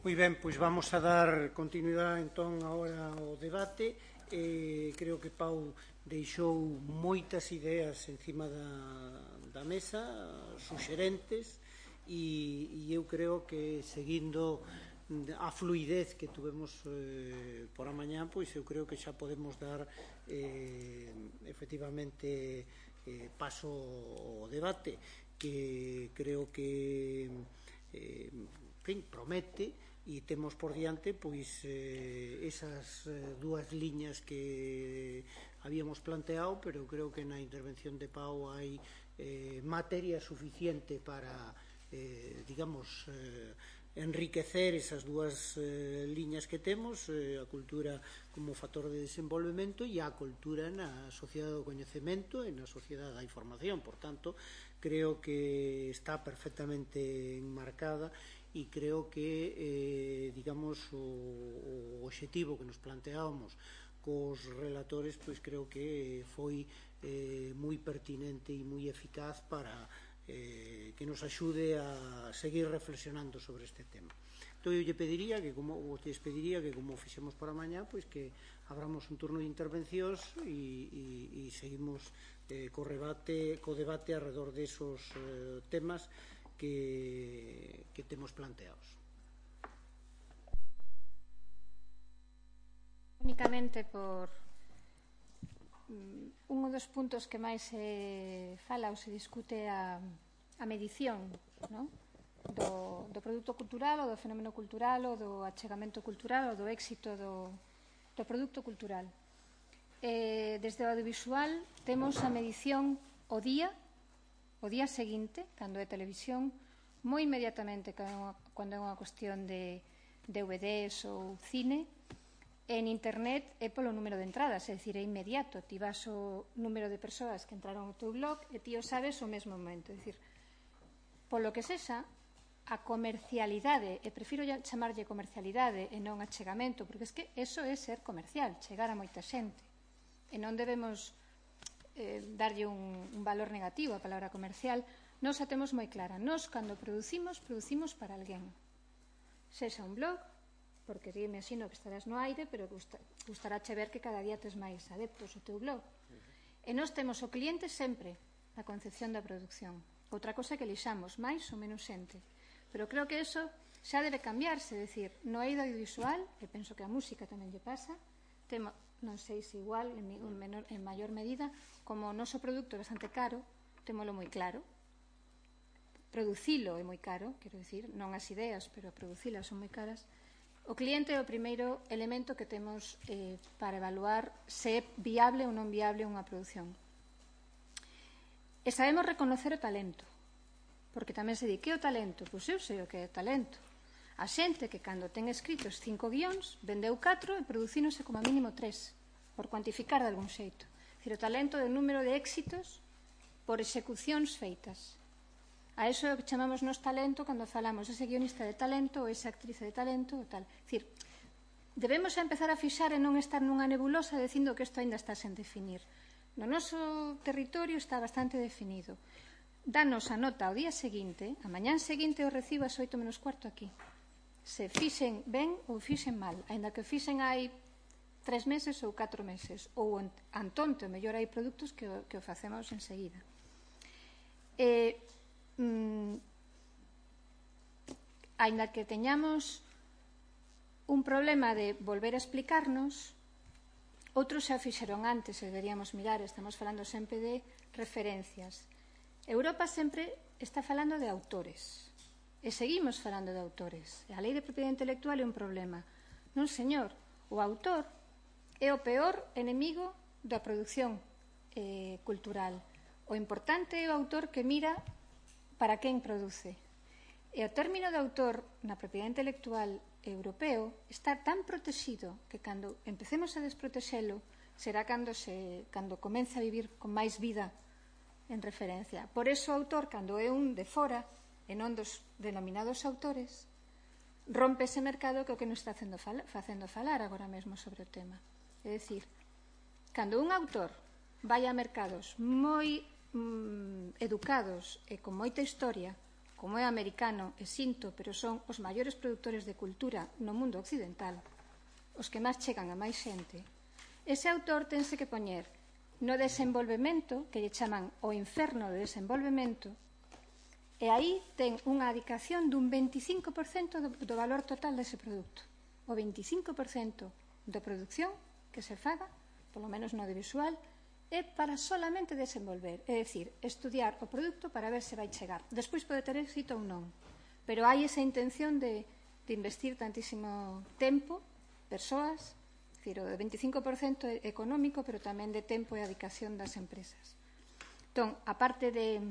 Moi ben, pois vamos a dar continuidade entón agora ao debate. Creo que Pau deixou moitas ideas encima da mesa, suxerentes, e eu creo que seguindo a fluidez que tuvemos por a mañá, pois eu creo que xa podemos dar efectivamente paso ao debate, que creo que promete, e temos por diante pois esas dúas liñas que habíamos planteado, pero creo que na intervención de Pau hai materia suficiente para digamos enriquecer esas dúas liñas que temos, a cultura como factor de desenvolvemento e a cultura na sociedade do coñecemento e na sociedade da información. Por tanto, creo que está perfectamente enmarcada e creo que digamos o obxectivo que nos planteábamos cos relatores, pois creo que foi moi pertinente e moi eficaz para que nos axude a seguir reflexionando sobre este tema. Entón eu lle pediría que como fixemos para mañá, pois que abramos un turno de intervencións e seguimos co debate alrededor desos temas que temos planteados. Únicamente por un dos puntos que máis se fala ou se discute a medición, non? do produto cultural ou do fenómeno cultural ou do achegamento cultural ou do éxito do produto cultural. Desde o audiovisual temos a medición o día seguinte, cando é televisión, moi inmediatamente cando é unha cuestión de DVDs ou cine. En internet é polo número de entradas, é dicir, é inmediato. Ti vas o número de persoas que entraron ao teu blog e ti o sabes ao mesmo momento. É dicir, polo que sexa, a comercialidade, e prefiro chamarlle comercialidade e non achegamento, porque é que eso é ser comercial, chegar a moita xente. E non debemos darlle un valor negativo á palabra comercial. Nós a temos moi clara. Nós, cando producimos para alguén. Sexa un blog, porque me imagino que estarás no aire, pero gustarache ver que cada día tes máis adeptos o teu blog. E nós temos o cliente sempre na concepción da produción. Outra cosa que lixamos, máis ou menos xente. Pero creo que eso xa debe cambiarse, é dicir, no eido audiovisual, e penso que a música tamén lle pasa, temos, non sei se igual, en maior medida, como o noso produto é bastante caro, témolo moi claro. Producilo é moi caro, quero dicir, non as ideas, pero producilas son moi caras. O cliente é o primeiro elemento que temos para evaluar se é viable ou non viable unha produción. E sabemos reconocer o talento, porque tamén se di, que é o talento? Pois eu sei o que é o talento. A xente que cando ten escritos 5 guións, vendeu 4 e producínose como a mínimo 3, por cuantificar de algún xeito. O talento é o número de éxitos por execucións feitas. A iso é o que chamamos nos talento cando falamos ese guionista de talento ou esa actriz de talento ou tal. Dicir, debemos empezar a fixar e non estar nunha nebulosa dicindo que isto ainda está sen definir. No noso territorio está bastante definido. Danos a nota ao día seguinte, a mañán seguinte o recibo ás 8 menos cuarto aquí. Se fixen ben ou fixen mal, aínda que fixen hai 3 meses ou 4 meses, ou antonte, o mellor hai produtos que o facemos enseguida. Aínda que teñamos un problema de volver a explicarnos, outros xa fixeron antes, e deberíamos mirar, estamos falando sempre de referencias. Europa sempre está falando de autores, e seguimos falando de autores. E a lei de propiedade intelectual é un problema. Non, señor, o autor é o peor enemigo da produción cultural. O importante é o autor que mira para quen produce. E o término de autor na propiedade intelectual europeo está tan protegido que cando empecemos a desprotexelo será cando comece a vivir con máis vida en referencia. Por eso o autor, cando é un de fora e non dos denominados autores, rompe ese mercado que é o que nos está facendo falar agora mesmo sobre o tema. É dicir, cando un autor vai a mercados moi educados e con moita historia, como é americano e sinto, pero son os maiores produtores de cultura no mundo occidental, os que máis chegan a máis xente, ese autor tense que poñer no desenvolvemento, que lle chaman o inferno de desenvolvemento, e aí ten unha adicación dun 25% do valor total dese produto. O 25% da produción que se faga, polo menos no audiovisual, é para solamente desenvolver, é dicir, estudiar o produto para ver se vai chegar. Despois pode ter éxito ou non, pero hai esa intención de investir tantísimo tempo, persoas, é dicir, o 25% económico, pero tamén de tempo e adicación das empresas. Entón, a parte de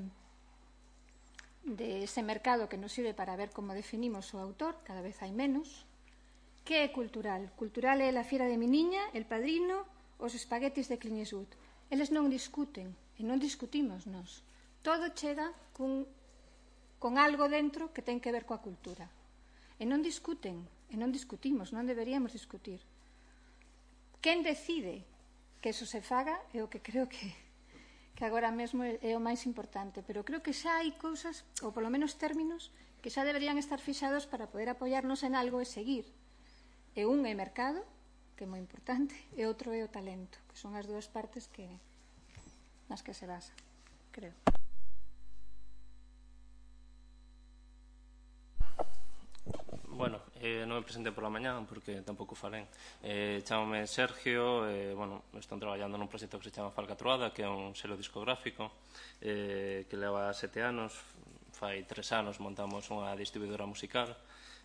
ese mercado que nos sirve para ver como definimos o autor, cada vez hai menos. Que é cultural? Cultural é a Fiera de Miniña, El Padrino, os espaguetis de Clint Eastwood. Eles non discuten, e non discutimos nós. Todo chega con algo dentro que ten que ver coa cultura. E non discuten, e non discutimos, non deberíamos discutir. Quen decide que eso se faga é o que creo que agora mesmo é o máis importante, pero creo que xa hai cousas, ou polo menos términos, que xa deberían estar fixados para poder apoiarnos en algo e seguir. E un é mercado, que é moi importante, e outro é o talento, que son as dúas partes nas que se basa, creo. Bueno, non me presentei pola mañá porque tampouco falén. Chámame Sergio, estou traballando nun proxecto que se chama Falcatruada, que é un selo discográfico que leva 7 anos. Fai 3 anos montamos unha distribuidora musical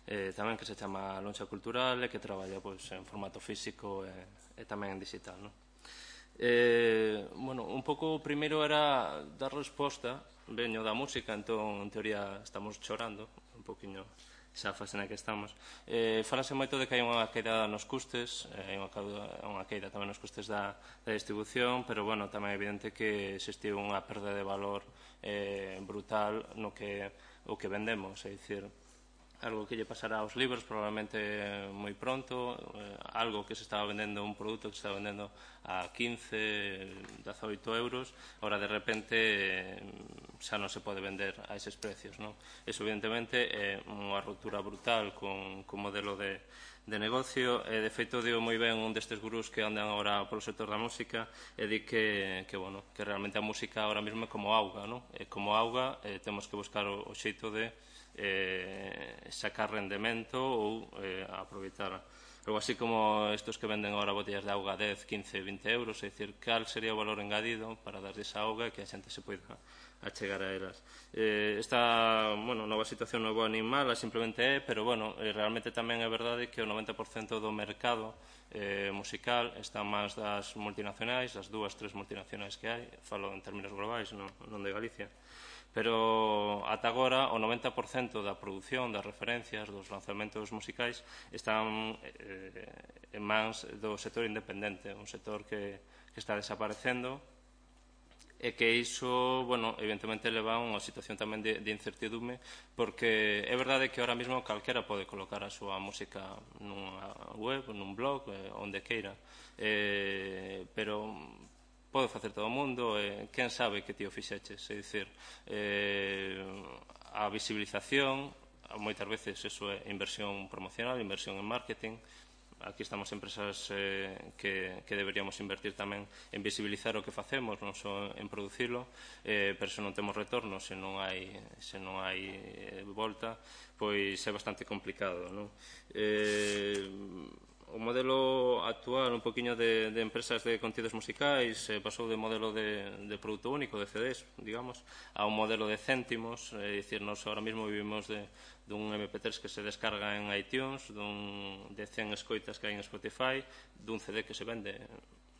tamén que se chama Lonxa Cultural e que traballa en formato físico e tamén en digital. Un pouco o primeiro era dar resposta, veño da música, entón en teoría estamos chorando un poquinho esa fase na que estamos. Falase moito de que hai unha queda nos custes, hai unha queda tamén nos custes da distribución, pero tamén é evidente que existiu unha perda de valor brutal no que o que vendemos, é dicir, algo que lle pasará aos libros probablemente moi pronto, algo que se estaba vendendo, un produto que se estaba vendendo a 15, 18 euros, ahora de repente xa non se pode vender a eses precios. Eso evidentemente é unha ruptura brutal con modelo de negocio, e de feito digo moi ben un destes gurús que andan agora polo sector da música e di que realmente a música agora mesmo é como auga, é como auga, temos que buscar o xeito de sacar rendemento ou aproveitar algo así como estos que venden agora botellas de auga 10, 15, 20 euros, é dicir, cal sería o valor engadido para dar esa auga e que a xente se poida achegar a elas. Esta nova situación non é boa nin mala, simplemente é, pero realmente tamén é verdade que o 90% do mercado musical está máis das multinacionais, as 2, 3 multinacionais que hai, falo en términos globais, non de Galicia, pero ata agora o 90% da produción, das referencias, dos lanzamentos musicais están en mans do sector independente, un sector que está desaparecendo e que iso, evidentemente leva a unha situación tamén de incertidume, porque é verdade que ahora mesmo calquera pode colocar a súa música nunha web, nun blog, onde queira, pero pode facer todo o mundo, quen sabe que ti o fixeches, é dicir, a visibilización, moitas veces eso é inversión promocional, inversión en marketing. Aquí estamos empresas que deberíamos invertir tamén en visibilizar o que facemos, non só en producilo, pero se non temos retorno, se non hai volta, pois é bastante complicado. O modelo actual, un poquinho de empresas de contidos musicais, pasou de modelo de produto único, de CDs, digamos, a un modelo de céntimos, é dicir, nos ahora mesmo vivimos dun MP3 que se descarga en iTunes, de 100 escoitas que hai en Spotify, dun CD que se vende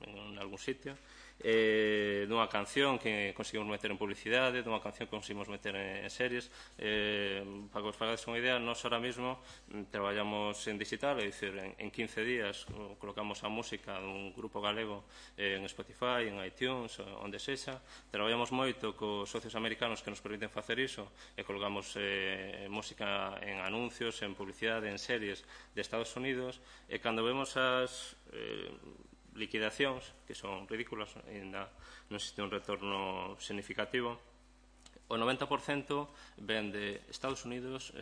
en algún sitio, dunha canción que conseguimos meter en publicidade, dunha canción que conseguimos meter en series. Para que vos fagades unha idea, nós ahora mesmo traballamos en digital, é dicir, en 15 días colocamos a música dun grupo galego en Spotify, en iTunes, onde sexa. Traballamos moito cos socios americanos que nos permiten facer iso e colocamos música en anuncios, en publicidade, en series de Estados Unidos, e cando vemos as liquidacións, que son ridículas, ainda non existe un retorno significativo, o 90% ven de Estados Unidos,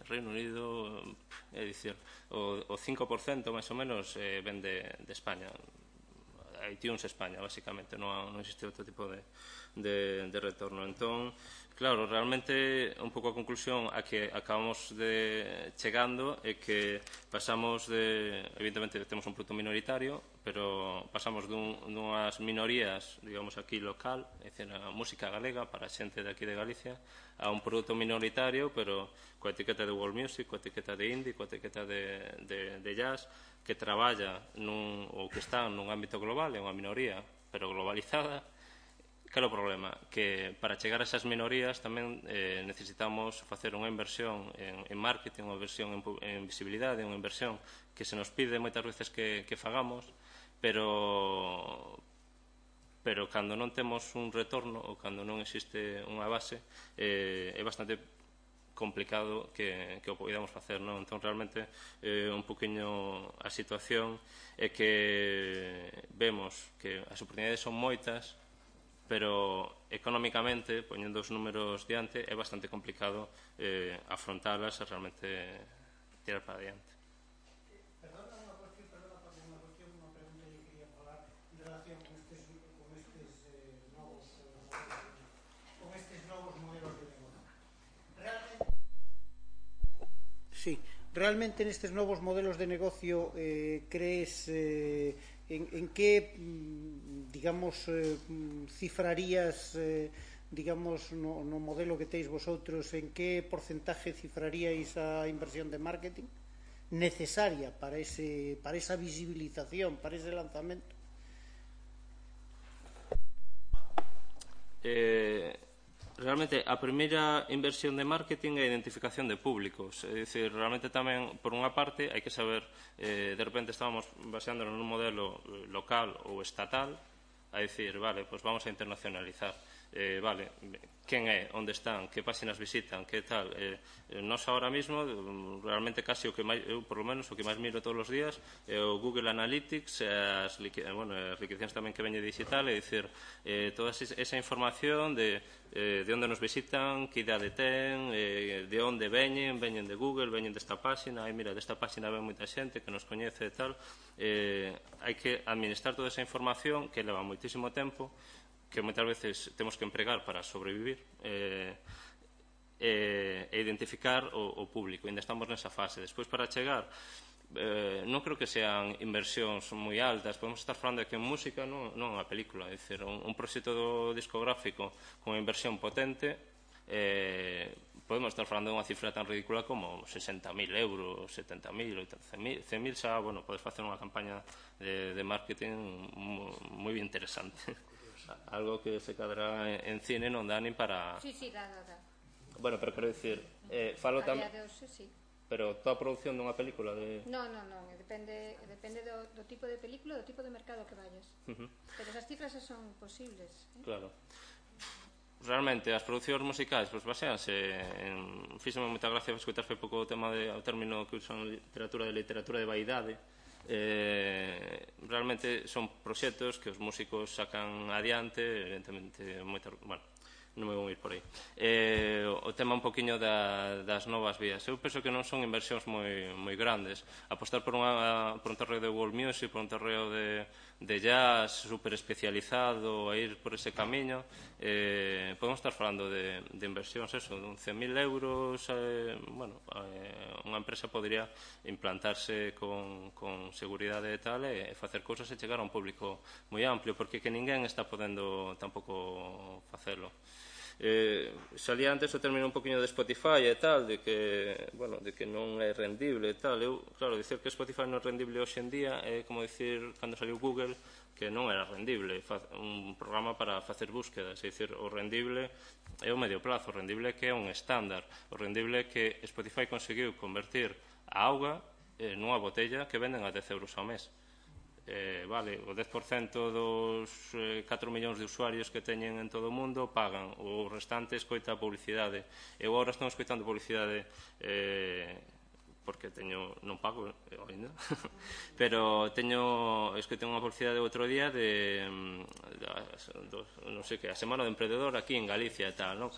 Reino Unido, é dicir, o 5% máis ou menos ven de España, iTunes España, basicamente, non existe outro tipo de retorno. Entón, claro, realmente un pouco a conclusión a que acabamos chegando é que pasamos evidentemente temos un produto minoritario, pero pasamos dunhas minorías, digamos aquí local, é dicir, a música galega para a xente de aquí de Galicia, a un produto minoritario, pero coa etiqueta de world music, coa etiqueta de indie, coa etiqueta de jazz, que traballa ou que está nun ámbito global, é unha minoría, pero globalizada. Cal é o problema? Que para chegar a esas minorías tamén necesitamos facer unha inversión en marketing, unha inversión en visibilidade, unha inversión que se nos pide moitas veces que fagamos, pero cando non temos un retorno ou cando non existe unha base é bastante complicado que o podamos facer, non? Entón, realmente, un poquinho a situación é que vemos que as oportunidades son moitas, pero económicamente, poñendo os números diante, é bastante complicado afrontalas e realmente tirar para diante. Sí, realmente nestes novos modelos de negocio crees en que, digamos, cifrarías, digamos, no modelo que teis vosotros, en que porcentaje cifraríais a inversión de marketing necesaria para esa visibilización, para ese lanzamento? Realmente, a primeira inversión de marketing é a identificación de públicos. É dicir, realmente tamén, por unha parte, hai que saber, de repente estábamos baseándonos nun modelo local ou estatal, a dicir, vale, pois vamos a internacionalizar. Vale, quen é, onde están, que páxinas visitan, que tal. Nós ahora mismo, realmente casi o que máis, eu por lo menos o que máis miro todos os días é o Google Analytics, as liquidacións tamén que veñe digital, é dicir, toda esa información de onde nos visitan, que idade ten, de onde veñen de Google, veñen desta páxina, mira, desta páxina ven moita xente que nos coñece e tal. Hai que administrar toda esa información que leva moitísimo tempo, que moitas veces temos que empregar para sobrevivir, e identificar o público. Ainda estamos nesa fase. Despois, para chegar, non creo que sean inversións moi altas. Podemos estar falando de que en música non unha película, é dicir, un proxecto discográfico con inversión potente, podemos estar falando de unha cifra tan ridícula como 60.000 euros, 70.000, 100.000, xa, bueno, podes facer unha campaña de marketing moi interesante. Algo que se cadra en cine non dá nin para... Sí, dá. Bueno, pero quero dicir, falo tamén... A día de hoxe, sí. Pero toda a produción dunha película de... Non, depende do tipo de película, do tipo de mercado que vayas. Pero esas cifras son posibles. Claro. Realmente, as producións musicais, pois baseanse en... Fíxome moita gracia escutar foi pouco o término que usan literatura de vaidade. Realmente son proxectos que os músicos sacan adiante, evidentemente, bueno, non me vou ir por aí. O tema un poquinho das novas vías. Eu penso que non son inversións moi grandes. Apostar por un terreo de world music, por un terreo de jazz super especializado, a ir por ese camiño, podemos estar falando de inversións, eso, de 100.000 euros. Bueno, unha empresa podría implantarse con seguridade e tal, e facer cousas e chegar a un público moi amplio, porque que ninguén está podendo tampouco facelo. Salía antes o término un poquinho de Spotify e tal, de que non é rendible e tal. Eu, claro, dicir que Spotify non é rendible hoxe en día é como dicir cando saliu Google que non era rendible, un programa para facer búsquedas. É dicir, o rendible é o medio plazo, o rendible que é un estándar, o rendible que Spotify conseguiu convertir a auga nunha botella que venden a 10 euros ao mes. Vale, o 10% dos 4 millóns de usuarios que teñen en todo o mundo pagan, o restante escoita a publicidade. Eu agora estou escoitando publicidade porque non pago ainda, pero teño escrito unha publicidade outro día de non sei que, a Semana do Emprendedor aquí en Galicia e tal, non?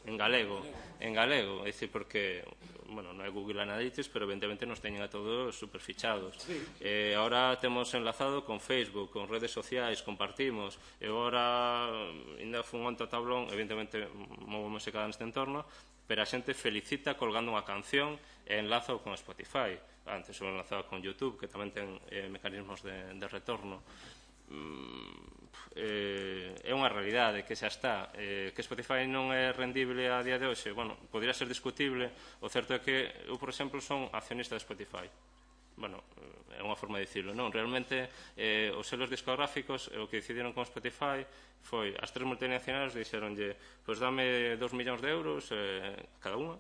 En galego, é dicir, porque bueno, non é Google Analytics, pero evidentemente nos teñen a todos superfichados. Ahora temos enlazado con Facebook, con redes sociais, compartimos, e agora ainda fun onte a tablón, evidentemente movo música neste entorno, pero a xente felicita colgando unha canción e enlazo con Spotify. Antes o enlazaba con YouTube, que tamén ten mecanismos de retorno. É unha realidade que xa está, que Spotify non é rendible a día de hoxe. Bueno, podría ser discutible. O certo é que eu, por exemplo, son accionista de Spotify. Bueno, é unha forma de dicirlo, non? Realmente, os selos discográficos, o que decidiron con Spotify foi, as tres multinacionales dixeronlle, pois dame 2 millóns de euros cada unha,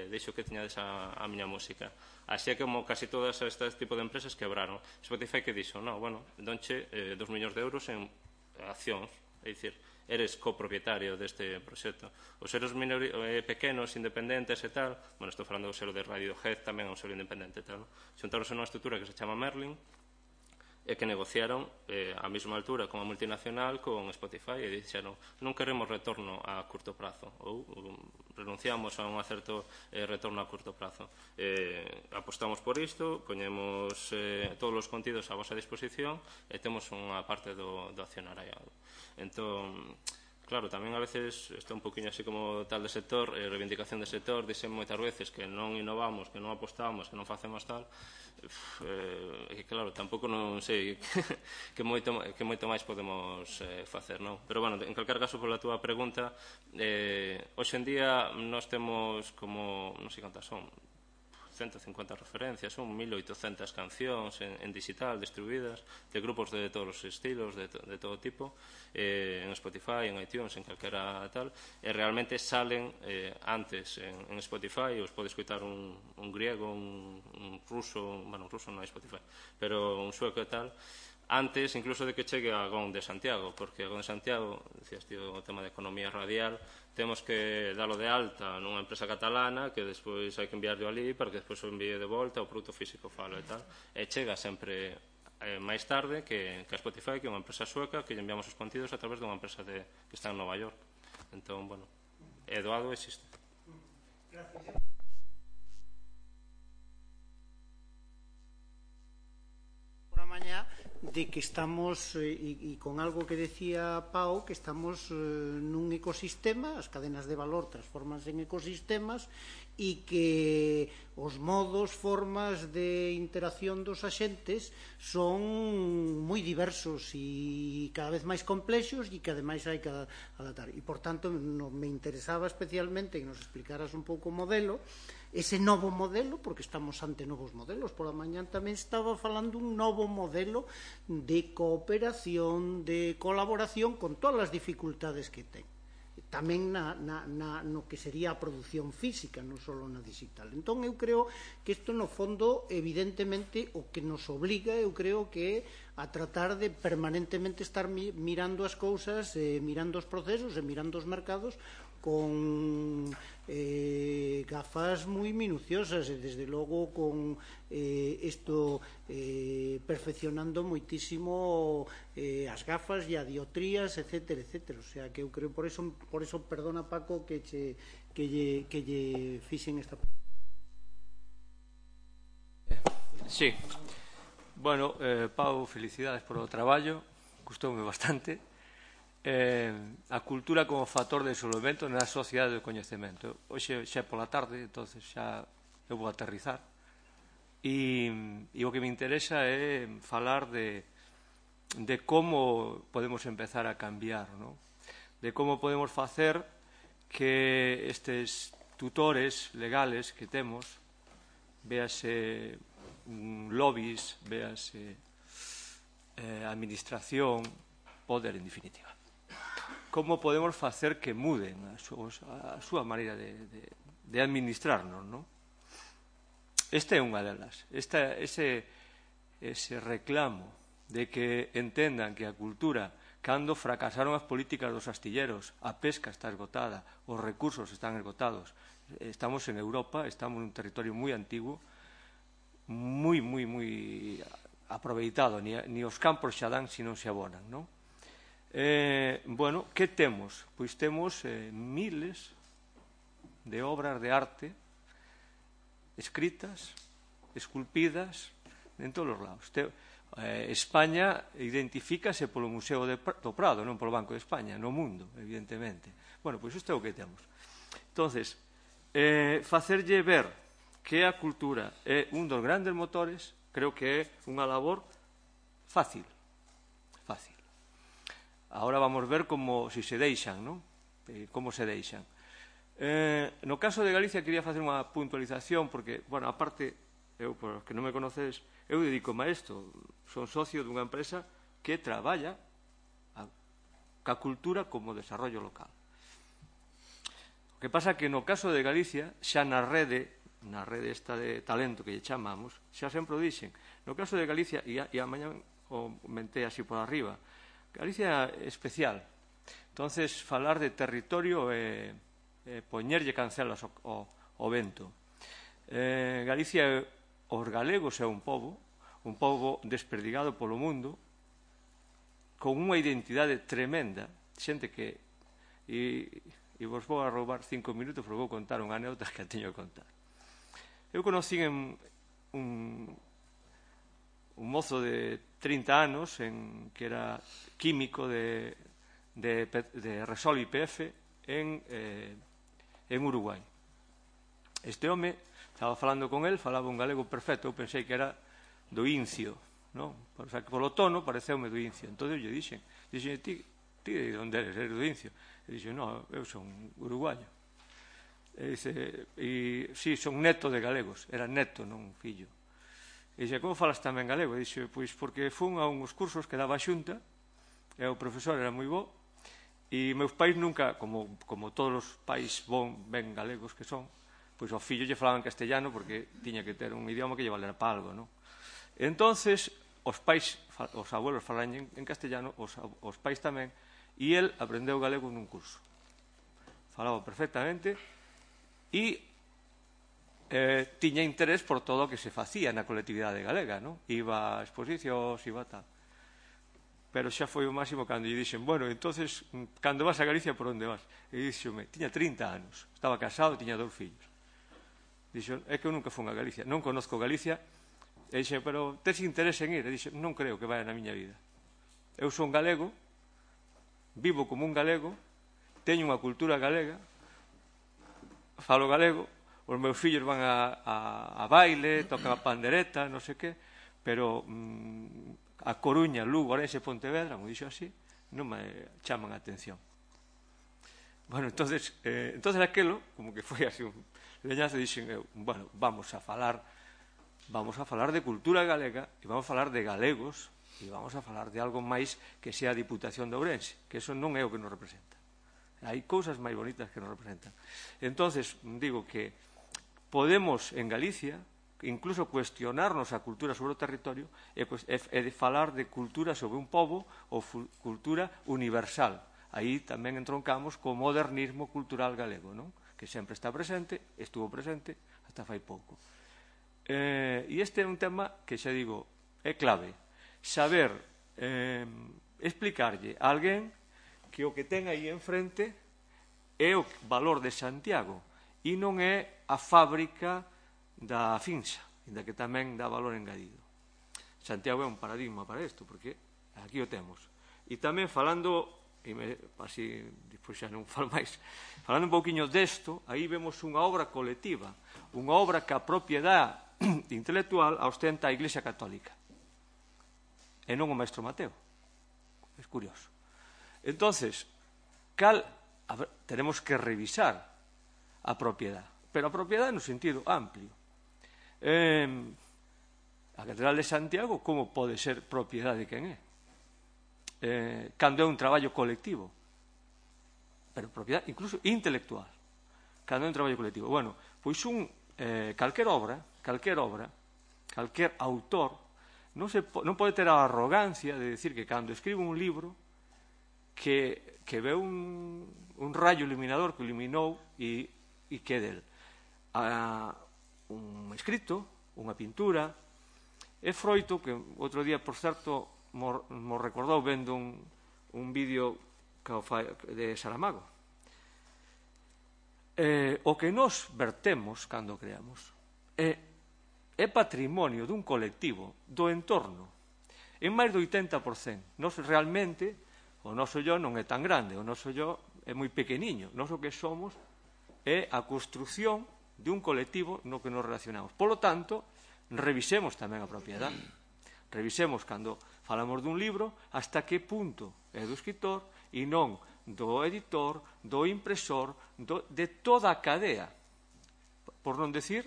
deixo que teñades a miña música. Así é como casi todas este tipo de empresas quebraron. Spotify que dixo, non, bueno, donche 2 millóns de euros en accións, é dicir, eres copropietario deste proxecto. Os selos pequenos, independentes e tal, bueno, estou falando do selo de Radiohead, tamén é un selo independente e tal, xuntaronse nunha estrutura que se chama Merlin, e que negociaron á mesma altura con a multinacional con Spotify e dixeron non queremos retorno a curto prazo ou renunciamos a un certo retorno a curto prazo, apostamos por isto, poñemos todos os contidos a vosa disposición e temos unha parte do accionariado. Entón, claro, tamén a veces está un poquinho así como tal de sector, reivindicación de sector, dixen moitas veces que non innovamos, que non apostamos, que non facemos tal, e claro, tampouco non sei que moito máis podemos facer, non? Pero, bueno, en calquer caso, pola túa pregunta, hoxe en día nós temos como, non sei cantas son, 150 referencias, son 1800 cancións en digital distribuídas de grupos de todos os estilos, de todo tipo, en Spotify, en iTunes, en calquera tal, e realmente salen antes en Spotify, os pode escutar un griego, un ruso, bueno, un ruso non é Spotify, pero un sueco e tal, antes incluso de que chegue a GON de Santiago, porque a GON de Santiago, decías tío, o tema de economía radial, temos que dalo de alta nunha empresa catalana que despois hai que enviarlo ali para que despois o envíe de volta o produto físico falo e tal, e chega sempre máis tarde que a Spotify, que é unha empresa sueca que lle enviamos os contidos a través dunha empresa que está en Nova York. Entón, bueno, é doado, existe. Gracias. Mañá de que estamos e con algo que decía Pau, que estamos nun ecosistema, as cadenas de valor transformanse en ecosistemas e que os modos, formas de interacción dos axentes son moi diversos e cada vez máis complexos e que ademais hai que adaptar. E, por tanto, me interesaba especialmente que nos explicaras un pouco o modelo, ese novo modelo, porque estamos ante novos modelos. Pola mañán tamén estaba falando un novo modelo de cooperación, de colaboración, con todas as dificultades que ten. Tamén no que sería a produción física, non só na digital. Entón, eu creo que isto, no fondo, evidentemente, o que nos obliga, eu creo que a tratar de permanentemente estar mirando as cousas, mirando os procesos e mirando os mercados con gafas moi minuciosas e desde logo con isto perfeccionando moitísimo as gafas e a dioptrías, etcétera, etcétera. O sea, que eu creo, por eso perdona, Paco, que lle fixen esta pregunta. Sí. Bueno, Pau, felicidades por o traballo, gustoume bastante. A cultura como factor de desenvolvemento na sociedade do coñecemento. Hoxe xa é pola tarde, entonces xa eu vou aterrizar. E o que me interesa é falar de como podemos empezar a cambiar, ¿no? De como podemos facer que estes tutores legales que temos, véase lobbies, véase administración, poder en definitiva. Como podemos facer que muden a súa maneira de administrarnos, non? Esta é unha delas. Ese reclamo de que entendan que a cultura, cando fracasaron as políticas dos astilleros, a pesca está esgotada, os recursos están esgotados, Estamos en Europa, estamos en un territorio moi antigo, moi aproveitado, ni os campos xa dan se non se abonan, non? Bueno, que temos? Pois temos miles de obras de arte escritas, esculpidas en todos os lados. España identifícase polo Museo do Prado, non polo Banco de España, no mundo, evidentemente. Bueno, pois isto é o que temos. Entonces, facerlle ver que a cultura é un dos grandes motores, creo que é unha labor fácil. Ahora vamos ver como se deixan, non? Como se deixan. No caso de Galicia quería facer unha puntualización porque, bueno, aparte, eu, por os que non me conocedes, eu dedico-me a isto. Son socio dunha empresa que traballa ca cultura como desarrollo local. O que pasa que no caso de Galicia, xa na rede esta de talento que lle chamamos, xa sempre o dixen. No caso de Galicia, e a mañá o mentei así por arriba, Galicia é especial. Entonces, falar de territorio é poñerlle cancelas ao vento. Galicia, os galegos é un pobo desperdigado polo mundo, con unha identidade tremenda, xente que, e vos vou a roubar 5 minutos, vos vou contar unha anécdota que a teño que contar. Eu conocí un mozo de 30 anos que era químico de Resol IPF en Uruguai. Este home, estaba falando con él, falaba un galego perfecto, eu pensei que era do Incio, non? O sea, que polo tono pareceume do Incio. Entón eu lle dixen, ti de onde eres? Eres do Incio? E dixen, non, eu son uruguayo. E dice, sí, son neto de galegos, era neto, non fillo. E dixe, como falas tamén galego? E dixe, pois porque fun a uns cursos que daba a Xunta, e o profesor era moi bo, e meus pais nunca, como todos os pais ben galegos que son, pois ao fillo lle falaban castellano porque tiña que ter un idioma que lle valera para algo, non? Entonces, os pais, os abuelos falan en castellano, os pais tamén, e el aprendeu galego nun curso. Falaba perfectamente e tiña interés por todo o que se facía na colectividade galega, non? Iba a exposicións, iba a tal. Pero xa foi o máximo cando lle dixen, bueno, entonces, cando vas a Galicia, por onde vas? E dixome, tiña 30 anos, estaba casado, tiña 2 fillos. Dixo, é que eu nunca fun a Galicia, non conozco Galicia. E dixen, pero tes interés en ir? E dixen, non creo que vaya na miña vida. Eu son galego, vivo como un galego, teño unha cultura galega, falo galego, os meus fillos van a baile, tocan a pandereta, non sei que, pero a Coruña, Lugo, Orense, Pontevedra, como dixo así, non me chaman a atención. Bueno, entonces aquelo, como que foi así un leñazo, dixen eu, bueno, vamos a falar de cultura galega e vamos a falar de galegos e vamos a falar de algo máis que sea a Diputación de Ourense, que eso non é o que nos representa. Hai cousas máis bonitas que nos representan. Entonces, digo que podemos en Galicia incluso cuestionarnos a cultura sobre o territorio e de falar de cultura sobre un pobo ou cultura universal. Aí tamén entroncamos co modernismo cultural galego, non? Que sempre está presente, estuvo presente hasta fai pouco. E este é un tema que xa digo, é clave. Saber explicarlle a alguén que o que ten aí enfrente é o valor de Santiago e non é a fábrica da Finsa, ainda que tamén dá valor engadido. Santiago é un paradigma para isto, porque aquí o temos. E tamén falando, así, despois xa non falo máis, falando un pouquiño desto, aí vemos unha obra colectiva, unha obra que a propiedade intelectual a ostenta a Iglesia Católica e non o Maestro Mateo. É curioso. Entonces, tenemos que revisar a propiedade, pero a propiedade no sentido amplio. A Catedral de Santiago, como pode ser propiedade de quen é? Cando é un traballo colectivo, pero propiedade incluso intelectual, cando é un traballo colectivo. Bueno, pois calquer obra, calquer autor non pode ter a arrogancia de decir que cando escribe un libro que ve un rayo iluminador que iluminou e que é del. un escrito, unha pintura, é froito que outro día, por certo, mo recordou vendo un vídeo de Saramago. O que nos vertemos cando creamos é patrimonio dun colectivo, do entorno, en máis do 80%. Nos realmente, o noso yo non é tan grande, o noso yo é moi pequeniño. Nos o que somos é a construción de un colectivo no que nos relacionamos. Polo tanto, revisemos tamén a propiedade. Revisemos cando falamos dun libro hasta que punto é do escritor e non do editor, do impresor, de toda a cadea. Por non decir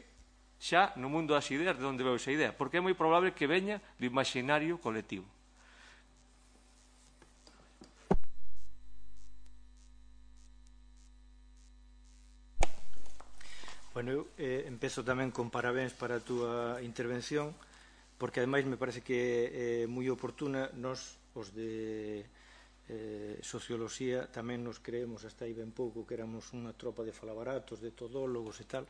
xa no mundo das ideas de onde veo esa idea, porque é moi probable que veña do imaginario colectivo. Bueno, eu empezo tamén con parabéns para a túa intervención, porque ademais me parece que é moi oportuna. Nos, os de socioloxía, tamén nos creemos hasta aí ben pouco que éramos unha tropa de falabaratos, de todólogos e tal,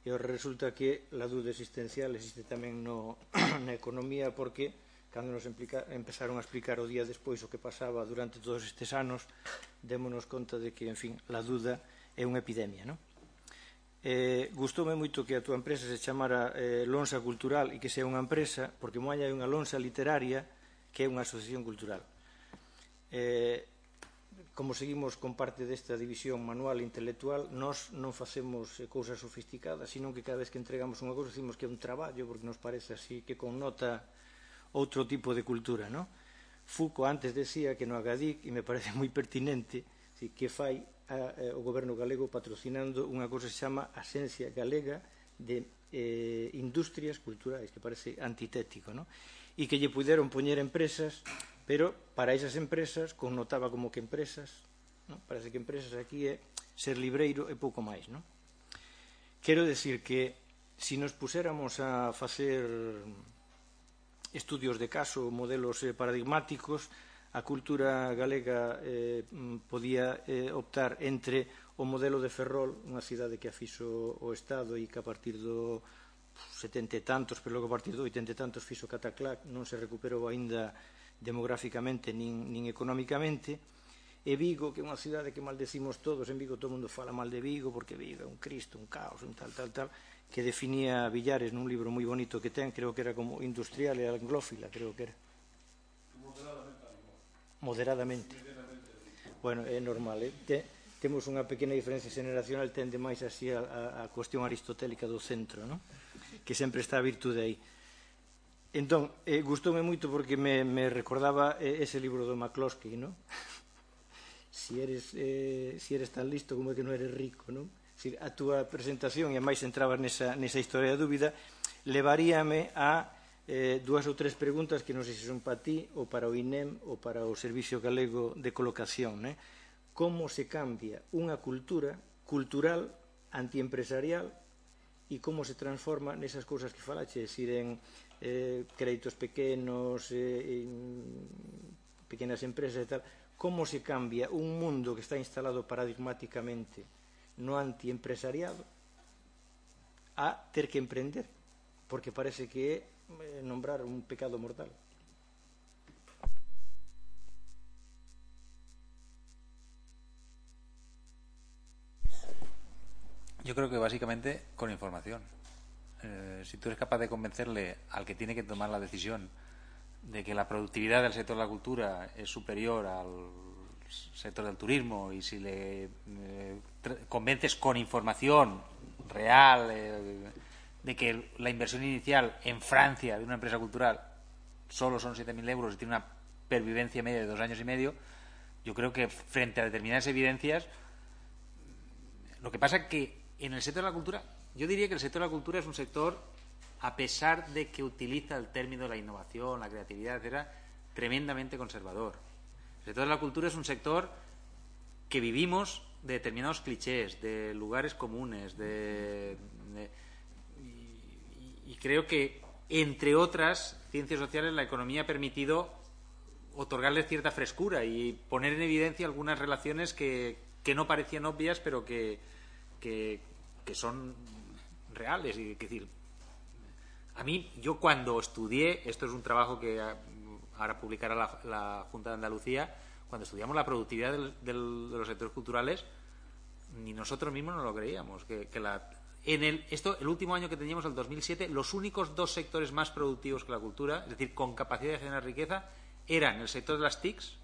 e resulta que a dúda existencial existe tamén na economía, porque cando nos empezaron a explicar o día despois o que pasaba durante todos estes anos, démonos conta de que, en fin, a dúda é unha epidemia, non? Gustoume moito que a túa empresa se chamara Lonsa Cultural e que sea unha empresa, porque moi hai unha lonsa literaria que é unha asociación cultural. Como seguimos con parte desta división manual e intelectual, nós non facemos cousas sofisticadas, sino que cada vez que entregamos unha cousa decimos que é un traballo, porque nos parece así que connota outro tipo de cultura, non? Foucault antes decía que no Agadic, e me parece moi pertinente, que fai o goberno galego patrocinando unha cousa que se chama Axencia Galega de Industrias Culturais, que parece antitético, non? E que lle puderon poñer empresas, pero para esas empresas connotaba como que empresas, non? Parece que empresas aquí é ser libreiro e pouco máis, non? Quero decir que se nos puséramos a facer estudios de caso, modelos paradigmáticos, a cultura galega podía optar entre o modelo de Ferrol, unha cidade que a fixo o Estado e que a partir do 70 e tantos, pero logo a partir do 80 e tantos fixo Cataclac, non se recuperou aínda demográficamente nin económicamente, e Vigo, que é unha cidade que maldecimos todos. En Vigo todo o mundo fala mal de Vigo, porque Vigo é un cristo, un caos, un tal, que definía Villares nun libro moi bonito que ten, creo que era como industrial e anglófila, creo que era. Moderadamente. Bueno, é normal, temos unha pequena diferencia generacional, tende máis así a cuestión aristotélica do centro, non? Que sempre está a virtude aí. Entón, gustoume moito porque me recordaba ese libro do McCloskey, non? Si eres tan listo como que non eres rico, non? A túa presentación, e a máis entrabas nesa historia da dúbida, levaríame a dúas ou tres preguntas que non sei se son para ti ou para o INEM ou para o Servicio Galego de Colocación, né? Como se cambia unha cultura cultural antiempresarial e como se transforma nesas cousas que falache, es decir, en créditos pequenos, pequenas empresas e tal. Como se cambia un mundo que está instalado paradigmáticamente no antiempresariado a ter que emprender, porque parece que é nombrar un pecado mortal. Yo creo que básicamente con información. Si tú eres capaz de convencerle al que tiene que tomar la decisión de que la productividad del sector de la cultura es superior al sector del turismo, y si le convences con información real de que la inversión inicial en Francia de una empresa cultural solo son 7.000 euros y tiene una pervivencia media de 2 años y medio, yo creo que frente a determinadas evidencias, lo que pasa es que en el sector de la cultura, yo diría que el sector de la cultura es un sector, a pesar de que utiliza el término de la innovación, la creatividad, etcétera, tremendamente conservador. El sector de la cultura es un sector que vivimos de determinados clichés, de lugares comunes, y creo que, entre otras ciencias sociales, la economía ha permitido otorgarle cierta frescura y poner en evidencia algunas relaciones que no parecían obvias, pero que son reales. Y, es decir, a mí, yo cuando estudié, esto es un trabajo que ahora publicará la Junta de Andalucía, cuando estudiamos la productividad de los sectores culturales, ni nosotros mismos no lo creíamos. El último año que teníamos, el 2007, los únicos dos sectores más productivos que la cultura, es decir, con capacidad de generar riqueza, eran el sector de las TICs,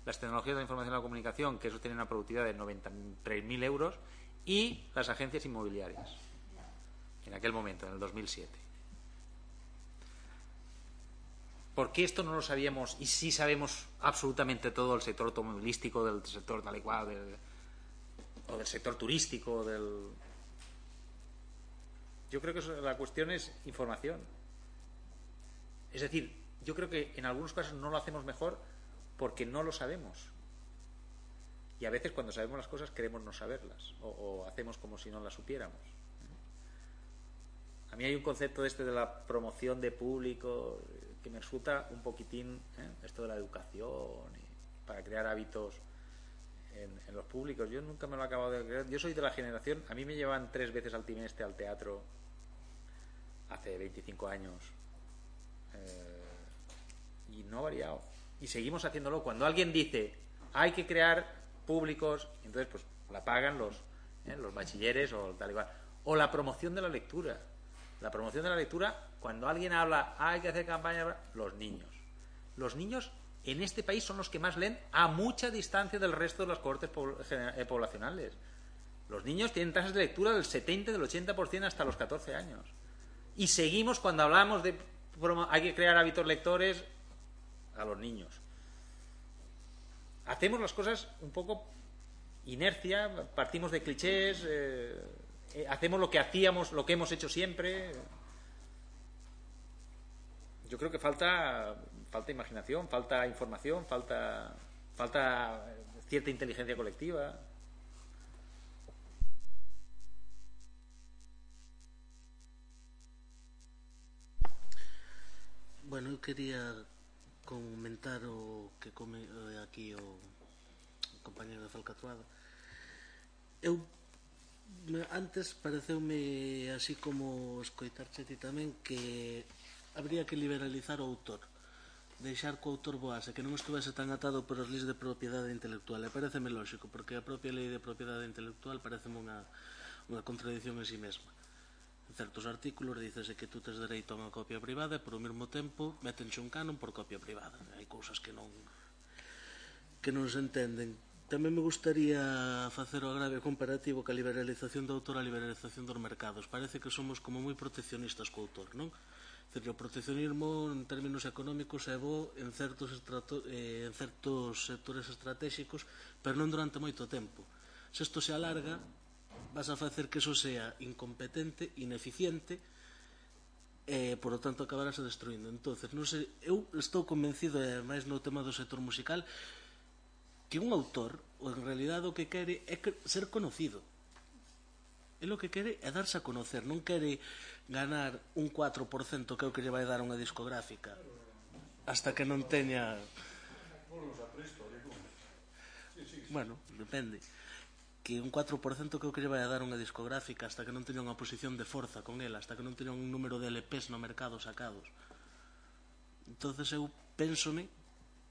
las tecnologías de la información y la comunicación, que eso tenía una productividad de 93.000 euros, y las agencias inmobiliarias, en aquel momento, en el 2007. ¿Por qué esto no lo sabíamos y sí sabemos absolutamente todo del sector automovilístico, del sector tal y cual, o del sector turístico, Yo creo que la cuestión es información. Es decir, yo creo que en algunos casos no lo hacemos mejor porque no lo sabemos. Y a veces cuando sabemos las cosas queremos no saberlas o hacemos como si no las supiéramos. A mí hay un concepto de la promoción de público que me resulta un poquitín esto de la educación para crear hábitos en los públicos. Yo nunca me lo he acabado de creer. Yo soy de la generación, a mí me llevan 3 veces al trimestre al teatro hace 25 años y no ha variado. Y seguimos haciéndolo. Cuando alguien dice hay que crear públicos, entonces pues la pagan los bachilleres o tal igual. O la promoción de la lectura. La promoción de la lectura, cuando alguien habla hay que hacer campaña, los niños. Los niños en este país son los que más leen a mucha distancia del resto de las cohortes poblacionales. Los niños tienen tasas de lectura del 70, del 80% hasta los 14 años. Y seguimos cuando hablamos de hay que crear hábitos lectores a los niños. Hacemos las cosas un poco inercia, partimos de clichés, hacemos lo que hacíamos, lo que hemos hecho siempre. Yo creo que falta imaginación, falta información, falta cierta inteligencia colectiva. Bueno, eu quería comentar o que aquí o compañero de Falcatruada. Eu antes pareceume así como escoitarche ti tamén que habría que liberalizar o autor, deixar que o autor voase, que non estuvese tan atado por as leis de propiedade intelectual. E pareceme lógico, porque a propia lei de propiedade intelectual pareceme unha contradición en si mesma. En certos artículos dícese que tú tes dereito a unha copia privada e por o mesmo tempo metenche un canon por copia privada. Hai cousas que non se entenden. Tamén me gustaría facer o agravio comparativo ca liberalización do autor a liberalización dos mercados. Parece que somos como moi proteccionistas co autor, non? O proteccionismo en términos económicos é bo en certos sectores estratégicos, pero non durante moito tempo. Se isto se alarga, vas a facer que eso sea incompetente, ineficiente e, por lo tanto, acabarase destruindo. Entonces, non sei, eu estou convencido, e máis no tema do sector musical, que un autor, ou en realidade o que quere é ser conocido. Ele o que quere é darse a conocer, non quere ganar un 4% que é o que lle vai dar unha discográfica hasta que non teña... Bueno, depende. Que un 4% que é o que lle vai a dar unha discográfica hasta que non teña unha posición de forza con ela, hasta que non teña un número de LPs no mercado sacados. Entonces eu pénsome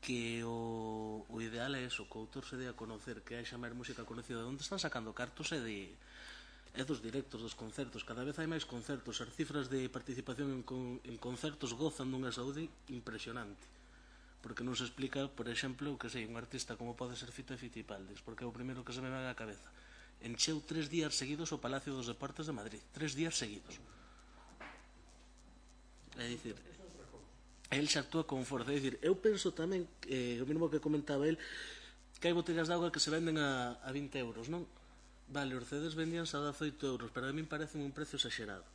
que o ideal é eso, que o autor se dé a conocer, que haxa máis música conocida. Onde están sacando cartos é dos directos, dos concertos. Cada vez hai máis concertos. As cifras de participación en concertos gozan dunha saúde impresionante, porque non se explica, por exemplo, que sei, un artista como pode ser Fito e Fitipaldes, porque é o primeiro que se me vai á cabeza. Encheu 3 días seguidos o Palacio dos Deportes de Madrid, 3 días seguidos. É dicir, el xa actúa con forza. É dicir, eu penso tamén, o mesmo que comentaba el, que hai botellas de auga que se venden a 20 euros, non? Vale, os CDs vendíanse a 18 euros, pero a min parece un precio exagerado.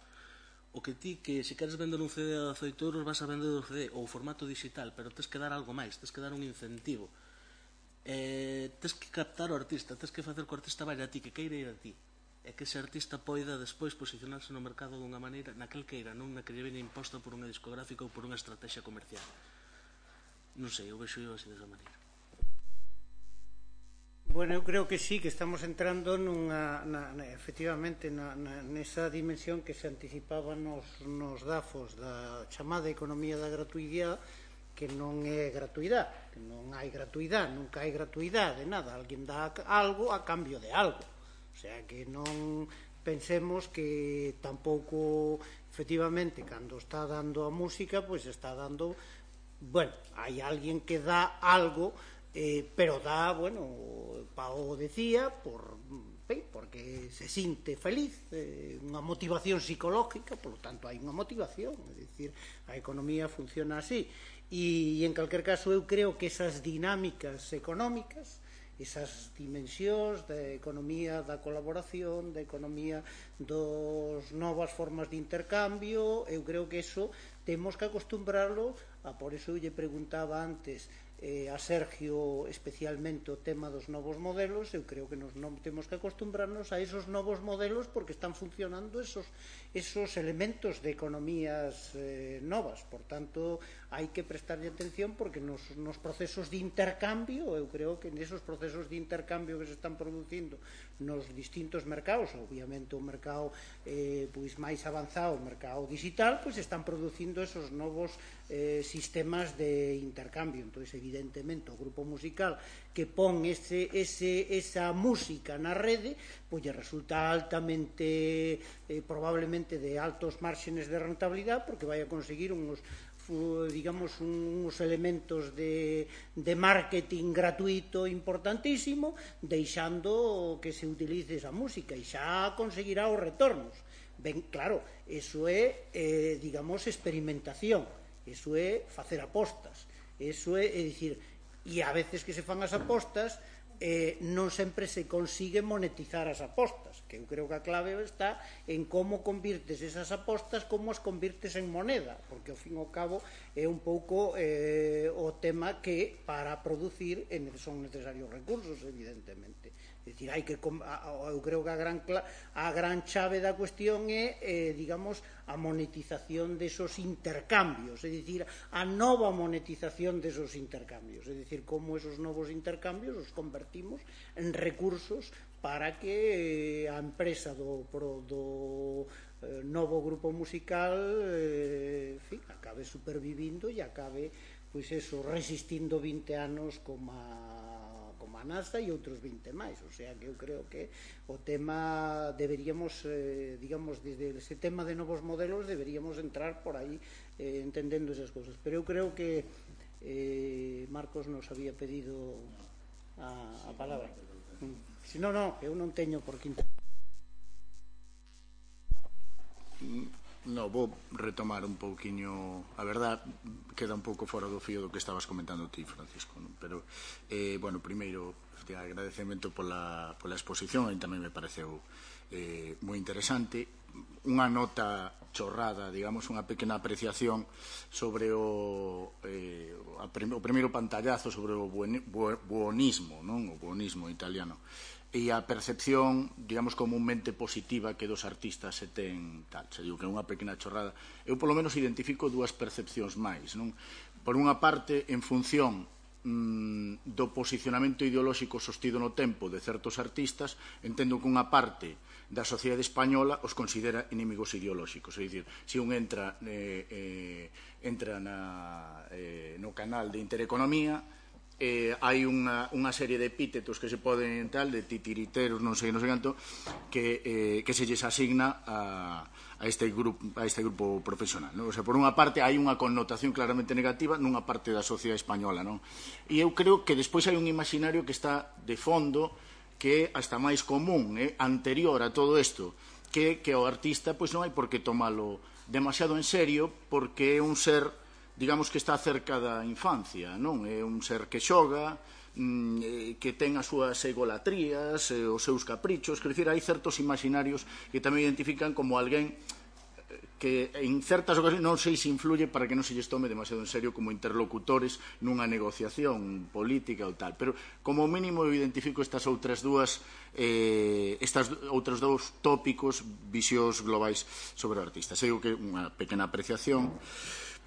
O que ti, que se queres vender un CD a 18 euros, vas a vender o CD ou formato digital, pero tens que dar algo máis, tens que dar un incentivo. Tens que captar o artista, tens que facer que o artista vaya a ti, que queira ir a ti, e que ese artista poida despois posicionarse no mercado dunha maneira naquel queira, non na que lle veña imposta por unha discográfica ou por unha estrategia comercial. Non sei, eu vexo así desa maneira. Bueno, eu creo que sí, que estamos entrando efectivamente nesa dimensión que se anticipaba nos DAFOS da chamada economía da gratuidade, que non é gratuidade, que non hai gratuidade, nunca hai gratuidade de nada, alguén dá algo a cambio de algo, o sea, que non pensemos que tampouco efectivamente cando está dando a música, pois está dando, bueno, hai alguén que dá algo, pero dá, bueno, Pao decía, porque se sinte feliz, unha motivación psicológica, polo tanto hai unha motivación, é dicir, a economía funciona así, e en calquer caso eu creo que esas dinámicas económicas, esas dimensións da economía da colaboración, da economía dos novas formas de intercambio, eu creo que eso temos que acostumbrarlo por eso eu lle preguntaba antes a Sergio especialmente o tema dos novos modelos. Eu creo que nos non temos que acostumbrarnos a esos novos modelos porque están funcionando esos elementos de economías novas. Por tanto, hai que prestarlle atención porque nos procesos de intercambio, eu creo que nesos procesos de intercambio que se están producindo nos distintos mercados, obviamente o mercado pois máis avanzado, o mercado digital, pois están producindo esos novos sistemas de intercambio. Entón, evidentemente, o grupo musical que pon esa música na rede, pois lle resulta altamente, probablemente de altos márgenes de rentabilidade, porque vai a conseguir uns elementos de marketing gratuito importantísimo, deixando que se utilice esa música, e xa conseguirá os retornos. Ben, claro, eso é, experimentación, eso é facer apostas, eso é dicir, e a veces que se fan as apostas non sempre se consigue monetizar as apostas, que eu creo que a clave está en como convirtes esas apostas, como as convirtes en moneda, porque ao fin e ao cabo é un pouco o tema que para producir son necesarios recursos, evidentemente. É dicir, eu creo que a gran chave da cuestión é, a monetización desos intercambios, é dicir, a nova monetización desos intercambios, é dicir, como esos novos intercambios os convertimos en recursos para que a empresa do novo grupo musical acabe supervivindo e acabe, pois eso, resistindo 20 anos como a NASA e outros 20 máis. O sea, que eu creo que o tema deberíamos, desde ese tema de novos modelos deberíamos entrar por aí entendendo esas cosas. Pero eu creo que Marcos nos había pedido a palabra. Si non, eu non teño por que interpretar. No, vou retomar un pouquiño. A verdad, queda un pouco fora do fío do que estabas comentando ti, Francisco, non? Pero, bueno, primeiro, agradecemento pola exposición, e tamén me pareceu moi interesante. Unha nota chorrada, digamos, unha pequena apreciación sobre o primeiro pantallazo sobre o buonismo, non? O buonismo italiano. E a percepción, digamos, comúnmente positiva que dos artistas se ten tal. Se digo que é unha pequena chorrada. Eu, polo menos, identifico dúas percepcións máis, non? Por unha parte, en función do posicionamento ideolóxico sostido no tempo de certos artistas, entendo que unha parte da sociedade española os considera inimigos ideolóxicos. É dicir, se un entra no canal de Intereconomía, hai unha serie de epítetos que se poden tal, de titiriteros, non sei canto, que se lles asigna a este grupo profesional, non? O sea, por unha parte hai unha connotación claramente negativa nunha parte da sociedade española, non? E eu creo que despois hai un imaginario que está de fondo, que é hasta máis común, anterior a todo isto, que o artista pois non hai por que tomalo demasiado en serio, porque é un ser, digamos, que está cerca da infancia, non? É un ser que xoga, que ten as súas egolatrías, os seus caprichos, quer dicir, hai certos imaginarios que tamén identifican como alguén que en certas ocasiones non sei se influye para que non se lles tome demasiado en serio como interlocutores nunha negociación política ou tal, pero como mínimo eu identifico estes outros dous tópicos, visións globais sobre o artista. Sei que é unha pequena apreciación.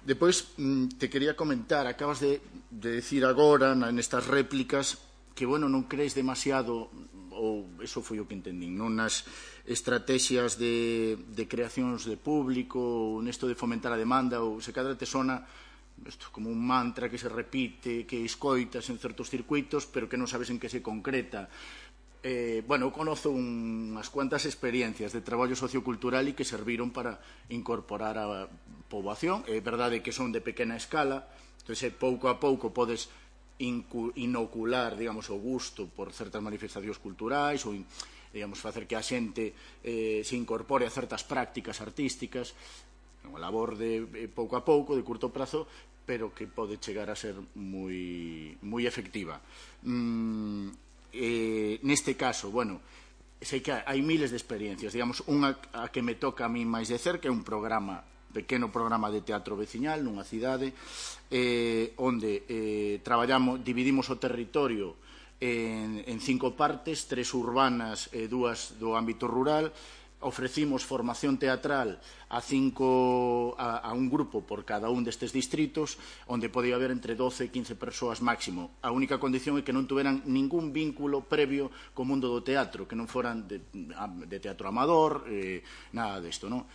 Depois te quería comentar, acabas de decir agora nestas réplicas bueno, non crees demasiado, ou eso foi o que entendín, non nas estrategias de creacións de público, ou nesto de fomentar a demanda, ou se cadra te sona como un mantra que se repite, que escoitas en certos circuitos, pero que non sabes en que se concreta. Bueno, eu conozo unhas cuantas experiencias de traballo sociocultural e que serviron para incorporar a poboación. É verdade que son de pequena escala, entón, pouco a pouco podes inocular, digamos, o gusto por certas manifestacións culturais ou, digamos, facer que a xente se incorpore a certas prácticas artísticas, unha labor de pouco a pouco, de curto prazo, pero que pode chegar a ser moi efectiva. Neste caso, bueno, sei que hai miles de experiencias, digamos, unha a que me toca a mí máis de cerca é un pequeno programa de teatro veciñal nunha cidade onde dividimos o territorio en 5 partes, 3 urbanas e 2 do ámbito rural. Ofrecimos formación teatral a un grupo por cada un destes distritos, onde podía haber entre 12 e 15 persoas máximo. A única condición é que non tuveran ningún vínculo previo co mundo do teatro, que non foran de teatro amador, nada desto, non?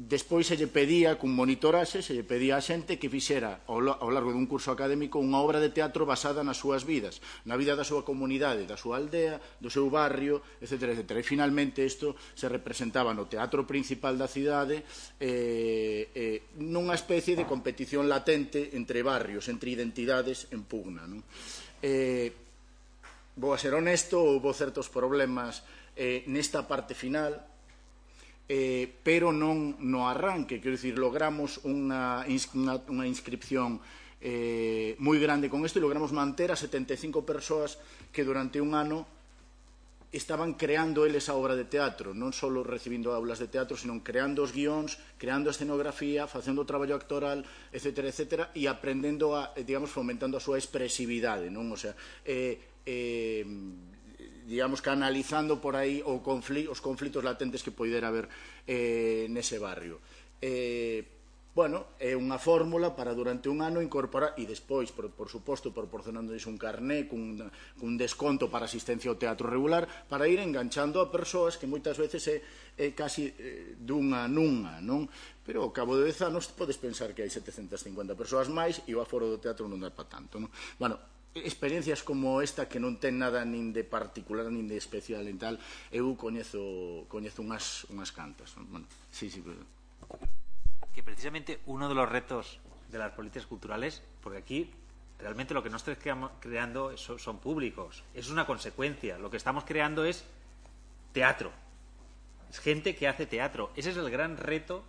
Despois se lle pedía, cun monitorase, se lle pedía a xente que fixera ao largo dun curso académico unha obra de teatro basada nas súas vidas, na vida da súa comunidade, da súa aldea, do seu barrio, etc. E finalmente isto se representaba no teatro principal da cidade nunha especie de competición latente entre barrios, entre identidades en pugna. Vou a ser honesto, houve certos problemas nesta parte final, pero non no arranque, quero dicir, logramos unha inscripción moi grande con isto e logramos manter a 75 persoas que durante un ano estaban creando eles a obra de teatro, non só recibindo aulas de teatro, sino creando os guións, creando a escenografía, facendo o traballo actoral, etc., e aprendendo digamos, fomentando a súa expresividade, non? O sea, digamos que analizando por aí os conflitos latentes que poidera haber nese barrio. Bueno, é unha fórmula para durante un ano incorporar, e despois, por suposto, proporcionándoles un carné cun desconto para asistencia ao teatro regular, para ir enganchando a persoas que moitas veces é casi dunha nunha, non? Pero ao cabo de 10 anos podes pensar que hai 750 persoas máis e o aforo do teatro non dá para tanto, non? Bueno, experiencias como esta que non ten nada nin de particular nin de especial en tal, eu coñezo unhas cantas. Bueno, sí, pero... Que precisamente uno de los retos de las políticas culturales, porque aquí realmente lo que no estamos creando son públicos, es una consecuencia. Lo que estamos creando es teatro, es gente que hace teatro. Ese es el gran reto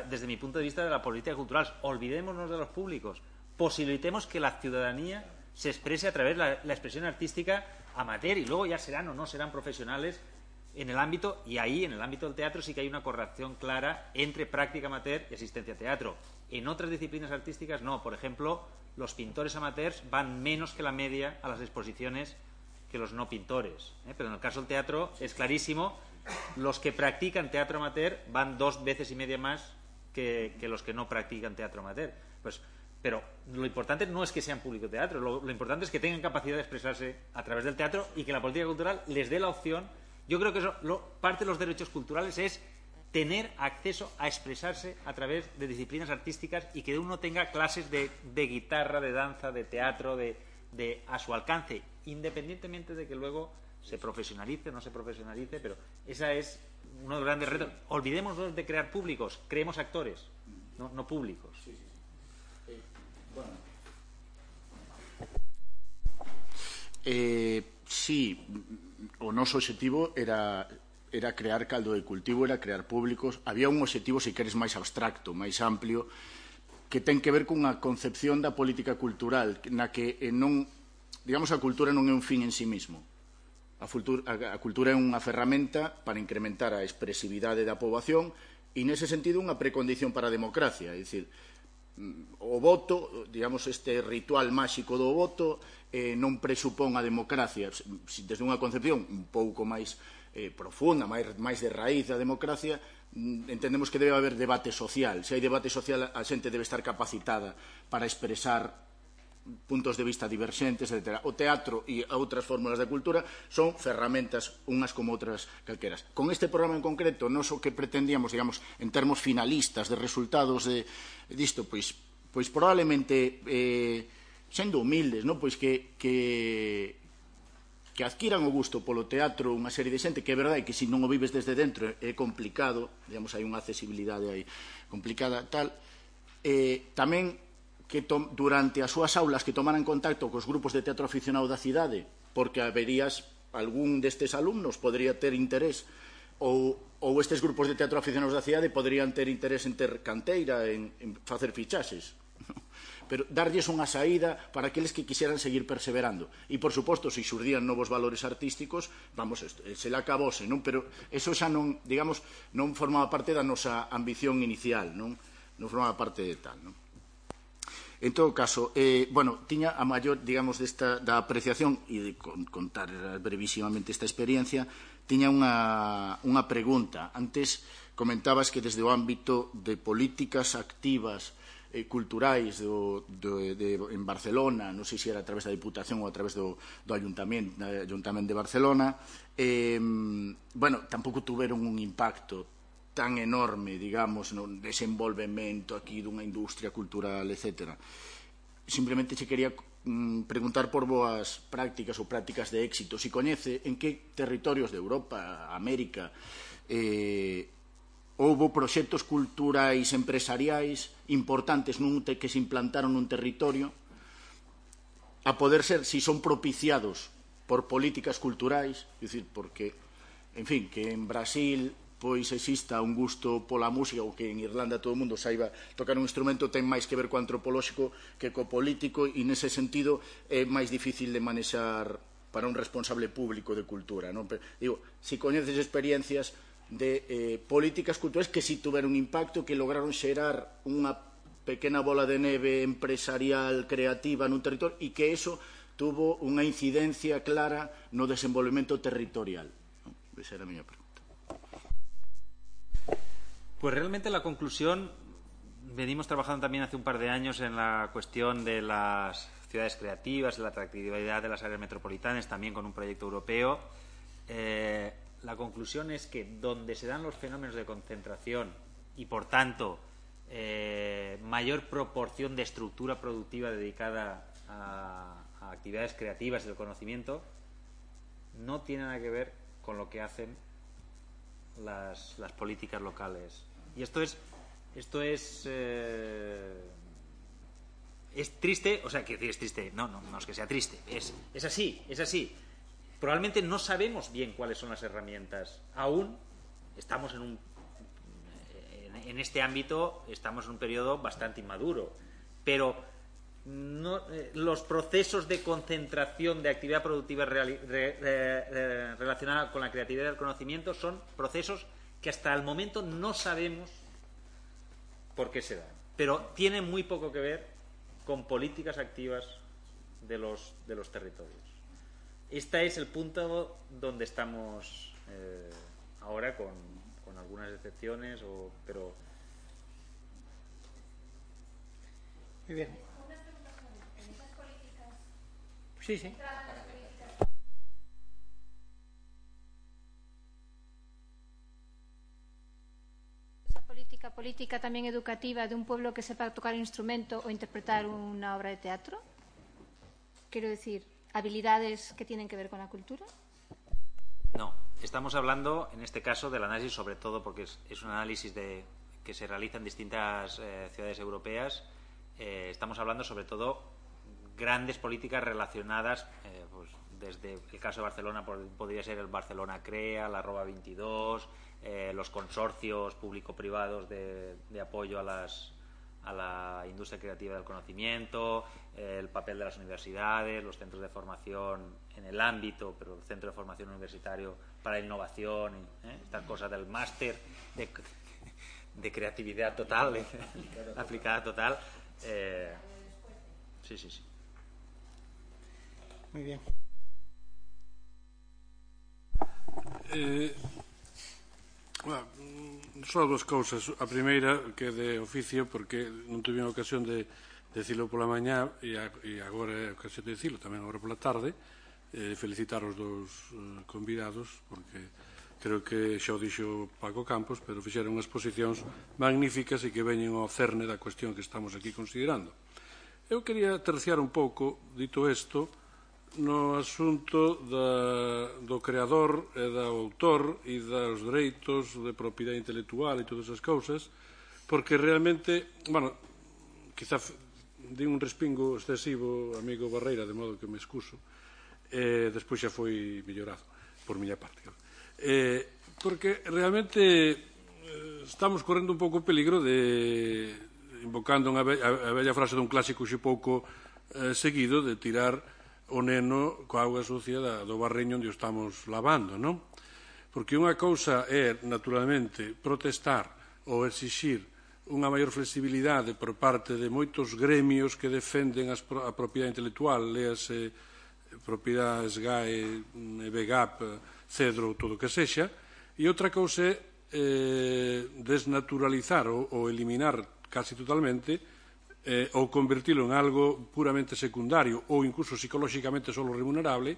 desde mi punto de vista de la política cultural. Olvidémonos de los públicos, posibilitemos que la ciudadanía se exprese a través de la expresión artística amateur, y luego ya serán o no serán profesionales en el ámbito, y ahí en el ámbito del teatro sí que hay una correlación clara entre práctica amateur y asistencia a teatro. En otras disciplinas artísticas no. Por ejemplo, los pintores amateurs van menos que la media a las exposiciones que los no pintores, pero en el caso del teatro es clarísimo, los que practican teatro amateur van 2 veces y media más que los que no practican teatro amateur. Pero lo importante no es que sean público teatro, lo importante es que tengan capacidad de expresarse a través del teatro y que la política cultural les dé la opción. Yo creo que parte de los derechos culturales es tener acceso a expresarse a través de disciplinas artísticas y que uno tenga clases de guitarra, de danza, de teatro, a su alcance, independientemente de que luego se profesionalice o no se profesionalice, pero esa es uno de los grandes retos. Olvidémonos de crear públicos, creemos actores, no públicos. Sí, o noso obxectivo era crear caldo de cultivo, era crear públicos. Había un obxectivo, se queres, máis abstracto, máis amplio, que ten que ver cunha concepción da política cultural, na que non, digamos, a cultura non é un fin en sí mismo. A cultura é unha ferramenta para incrementar a expresividade da poboación e, nese sentido, unha precondición para a democracia. É dicir, o voto, digamos, este ritual máxico do voto non presupón a democracia. Desde unha concepción un pouco máis profunda, máis de raíz da democracia, entendemos que debe haber debate social. Se hai debate social, a xente debe estar capacitada para expresar puntos de vista diverxentes, etc. O teatro e outras fórmulas de cultura son ferramentas unhas como outras calqueras. Con este programa en concreto, non o que pretendíamos, digamos, en termos finalistas de resultados disto, pois probablemente, sendo humildes, pois que adquiran o gusto polo teatro unha serie de xente, que é verdade que se non o vives desde dentro é complicado, digamos, hai unha accesibilidade aí complicada, tal, tamén que durante as súas aulas que tomaran contacto cos grupos de teatro aficionado da cidade, porque haberías algún destes alumnos podría ter interés, ou estes grupos de teatro aficionados da cidade podrían ter interés en ter canteira, en facer fichaxes, pero darlles unha saída para aqueles que quixeran seguir perseverando. E, por suposto, se xurdían novos valores artísticos, vamos, se le acabose, non? Pero eso xa non, digamos, non formaba parte da nosa ambición inicial, non formaba parte de tal, non? En todo caso, tiña a maior, digamos, da apreciación e de contar brevísimamente esta experiencia, tiña unha pregunta. Antes comentabas que desde o ámbito de políticas activas culturais en Barcelona, non sei se era a través da Diputación ou a través do Ayuntamento de Barcelona, tampouco tuveron un impacto tan enorme, digamos, no desenvolvemento aquí dunha industria cultural, etc. Simplemente se quería preguntar por boas prácticas ou prácticas de éxito. Se coñece en que territorios de Europa, América, houbo proxectos culturais empresariais importantes que se implantaron nun territorio, a poder ser, si son propiciados por políticas culturais, é dicir, porque, en fin, que en Brasil pois exista un gusto pola música, ou que en Irlanda todo o mundo saiba tocar un instrumento, ten máis que ver co antropolóxico que co político, e nese sentido é máis difícil de manexar para un responsable público de cultura, non? Digo, se coñeces experiencias de políticas culturais que si tuveron impacto, que lograron xerar unha pequena bola de neve empresarial creativa nun territorio e que eso tuvo unha incidencia clara no desenvolvemento territorial. Esa era a miña pregunta. Pues realmente la conclusión, venimos trabajando también hace un par de años en la cuestión de las ciudades creativas, de la atractividad de las áreas metropolitanas, también con un proyecto europeo. La conclusión es que donde se dan los fenómenos de concentración y, por tanto, mayor proporción de estructura productiva dedicada a actividades creativas y del conocimiento, no tiene nada que ver con lo que hacen las políticas locales. Y esto es triste, o sea, quiero decir, es triste, no es que sea triste, es así. Probablemente no sabemos bien cuáles son las herramientas. Aún estamos en este ámbito, estamos en un periodo bastante inmaduro, pero los procesos de concentración de actividad productiva relacionada con la creatividad y el conocimiento son procesos que hasta el momento no sabemos por qué se dan, pero tienen muy poco que ver con políticas activas de los territorios. Este es el punto donde estamos ahora, con algunas excepciones, pero... Muy bien. Sí. Esa política también educativa de un pueblo que sepa tocar un instrumento o interpretar una obra de teatro. Quiero decir, habilidades que tienen que ver con la cultura. No, estamos hablando en este caso del análisis, sobre todo porque es un análisis que se realiza en distintas ciudades europeas. Estamos hablando sobre todo grandes políticas relacionadas, pues desde el caso de Barcelona podría ser el Barcelona Crea, la Arroba 22, los consorcios público-privados de apoyo a la industria creativa del conocimiento, el papel de las universidades, los centros de formación en el ámbito, pero el centro de formación universitario para innovación, estas cosas del máster de creatividad total, aplicada total. Sí. Muy bien. Só dúas cousas. A primeira, que é de oficio, porque non tuve a ocasión de decilo pola mañá e agora é ocasión de decilo tamén agora pola tarde, felicitar os dous convidados porque creo que xa o dixo Paco Campos, pero fixeron unhas exposicións magníficas e que veñen ao cerne da cuestión que estamos aquí considerando. Eu quería terciar un pouco, dito isto, no asunto do creador e do autor e dos dereitos de propiedade intelectual e todas esas cousas, porque realmente, bueno, quizá di un respingo excesivo amigo Barreira, de modo que me excuso, despois xa foi mellorado por miña parte, porque realmente estamos correndo un pouco o peligro de, invocando a bella frase dun clásico xe pouco seguido, de tirar o neno coa auga sucia do barreño onde o estamos lavando, non? Porque unha cousa é, naturalmente, protestar ou exixir unha maior flexibilidade por parte de moitos gremios que defenden a propiedade intelectual, léase propiedade SGAE, BGAP, Cedro, todo o que sexa, e outra cousa é desnaturalizar ou eliminar casi totalmente ou convertilo en algo puramente secundario ou incluso psicolóxicamente solo remunerable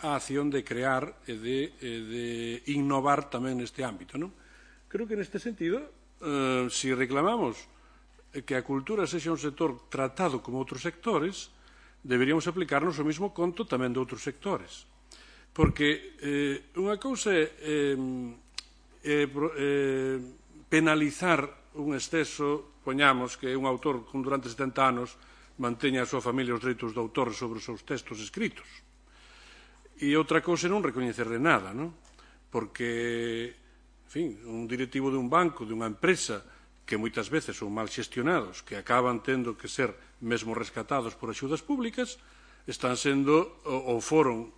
a acción de crear e de innovar tamén neste ámbito, non? Creo que neste sentido si reclamamos que a cultura sexa un sector tratado como outros sectores, deberíamos aplicarnos o mesmo conto tamén de outros sectores. Porque unha cousa é penalizar un exceso, poñamos que un autor con durante 70 anos manteña a súa familia os dereitos do autor sobre os seus textos escritos. E outra cousa é non recoñecerle nada, non? Porque en fin, un directivo de un banco, de unha empresa, que moitas veces son mal xestionados, que acaban tendo que ser mesmo rescatados por axudas públicas, están sendo ou foron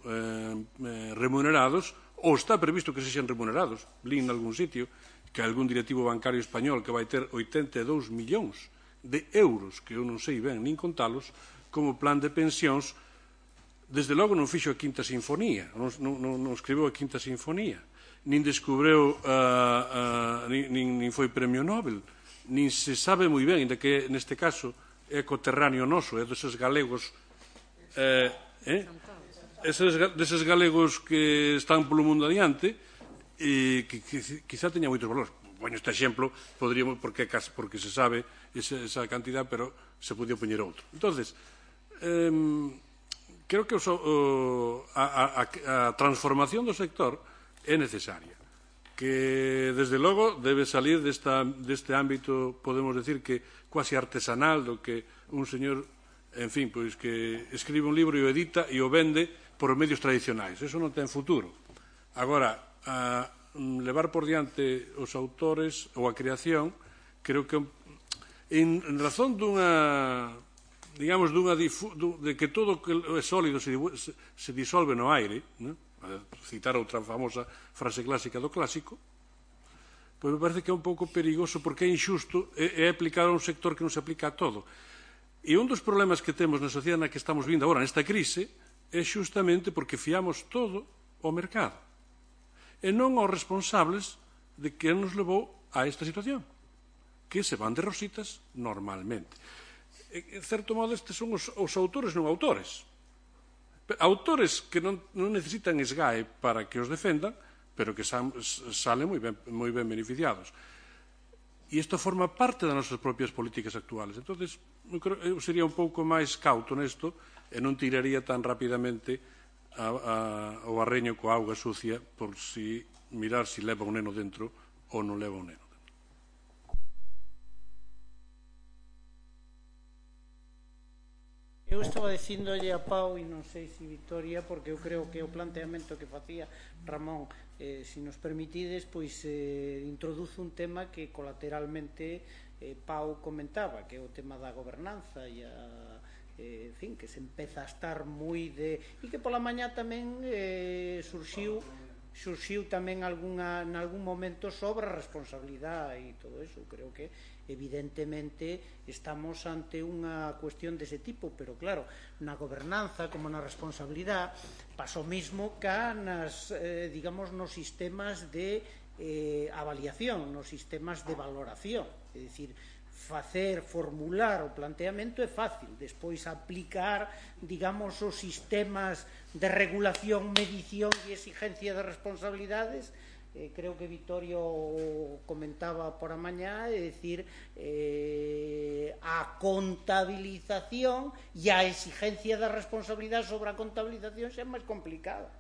remunerados, ou está previsto que sexan remunerados. Lín en algún sitio que algún directivo bancario español que vai ter 82 millóns de euros, que eu non sei ben nin contalos, como plan de pensións, desde logo non fixo a Quinta Sinfonía, non escribeu a Quinta Sinfonía, nin descubreu, nin foi premio Nobel, nin se sabe moi ben, ainda que neste caso é coterráneo noso, é deses galegos, deses galegos que están polo mundo adiante, e que quizá teña moitos valores. Poño este exemplo, poderíamos, porque se sabe esa cantidad, pero se podía poñer outro. Entonces, creo que a transformación do sector é necesaria, que desde logo debe salir deste ámbito, podemos decir que quasi artesanal, do que un señor, en fin, pois que escribe un libro e o edita e o vende por medios tradicionais. Eso non ten futuro. Agora, levar por diante os autores ou a creación, creo que en razón dunha, digamos, de que todo que é sólido se disolve no aire, non? A citar outra famosa frase clásica do clásico, pois me parece que é un pouco perigoso porque é injusto, é aplicar a un sector que non se aplica a todo. E un dos problemas que temos na sociedade na que estamos vindo agora, nesta crise, é justamente porque fiamos todo ao mercado e non aos responsables de que nos levou a esta situación, que se van de rositas normalmente. En certo modo, estes son os autores non autores. Autores que non necesitan SGAE para que os defendan, pero que salen moi ben beneficiados. E isto forma parte das nosas propias políticas actuales. Entón, eu sería un pouco máis cauto nesto e non tiraría tan rapidamente o barreño coa auga sucia por mirar se leva un neno dentro ou non leva un neno. Eu estaba dicíndolle a Pau, e non sei se Victoria, porque eu creo que o planteamento que facía Ramón, se nos permitides, pois introduce un tema que colateralmente Pau comentaba, que é o tema da gobernanza e en fin, que se empeza a estar moi e que pola mañá tamén surxiu tamén en algún momento sobre a responsabilidade e todo eso. Creo que evidentemente estamos ante unha cuestión dese tipo, pero claro, na gobernanza como na responsabilidade pasa o mismo ca digamos, nos sistemas de avaliación, nos sistemas de valoración. É dicir, formular o planteamento é fácil, despois aplicar, digamos, os sistemas de regulación, medición e exigencia de responsabilidades. Creo que Vittorio comentaba por a mañá, é dicir, a contabilización e a exigencia de responsabilidade sobre a contabilización xa é máis complicada.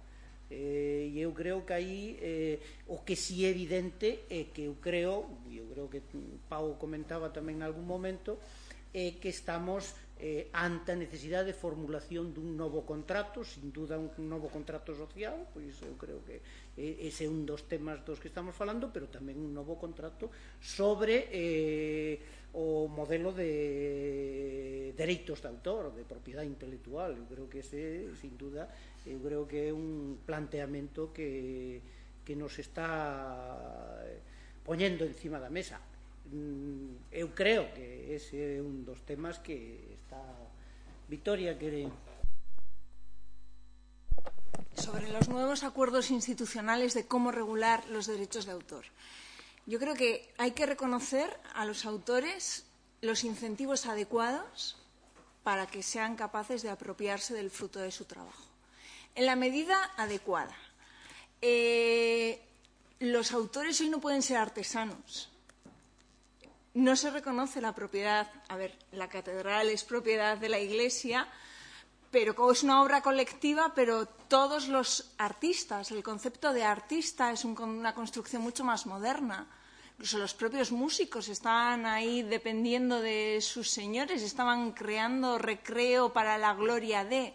E eu creo que aí o que si é evidente é que eu creo que Pau comentaba tamén en algún momento, é que estamos ante a necesidade de formulación dun novo contrato, sin duda un novo contrato social, pois eu creo que ese é un dos temas dos que estamos falando, pero tamén un novo contrato sobre o modelo de dereitos de autor, de propiedade intelectual. Eu creo que ese, sin duda, eu creo que é un planteamento que nos está poñendo encima da mesa. Eu creo que ese é un dos temas que está... Victoria, quere... Sobre los nuevos acuerdos institucionales de cómo regular los derechos de autor. Yo creo que hay que reconocer a los autores los incentivos adecuados para que sean capaces de apropiarse del fruto de su trabajo. En la medida adecuada. Los autores hoy no pueden ser artesanos. No se reconoce la propiedad. A ver, la catedral es propiedad de la Iglesia, pero es una obra colectiva, pero todos los artistas, el concepto de artista es una construcción mucho más moderna. Incluso los propios músicos estaban ahí dependiendo de sus señores, estaban creando recreo para la gloria de...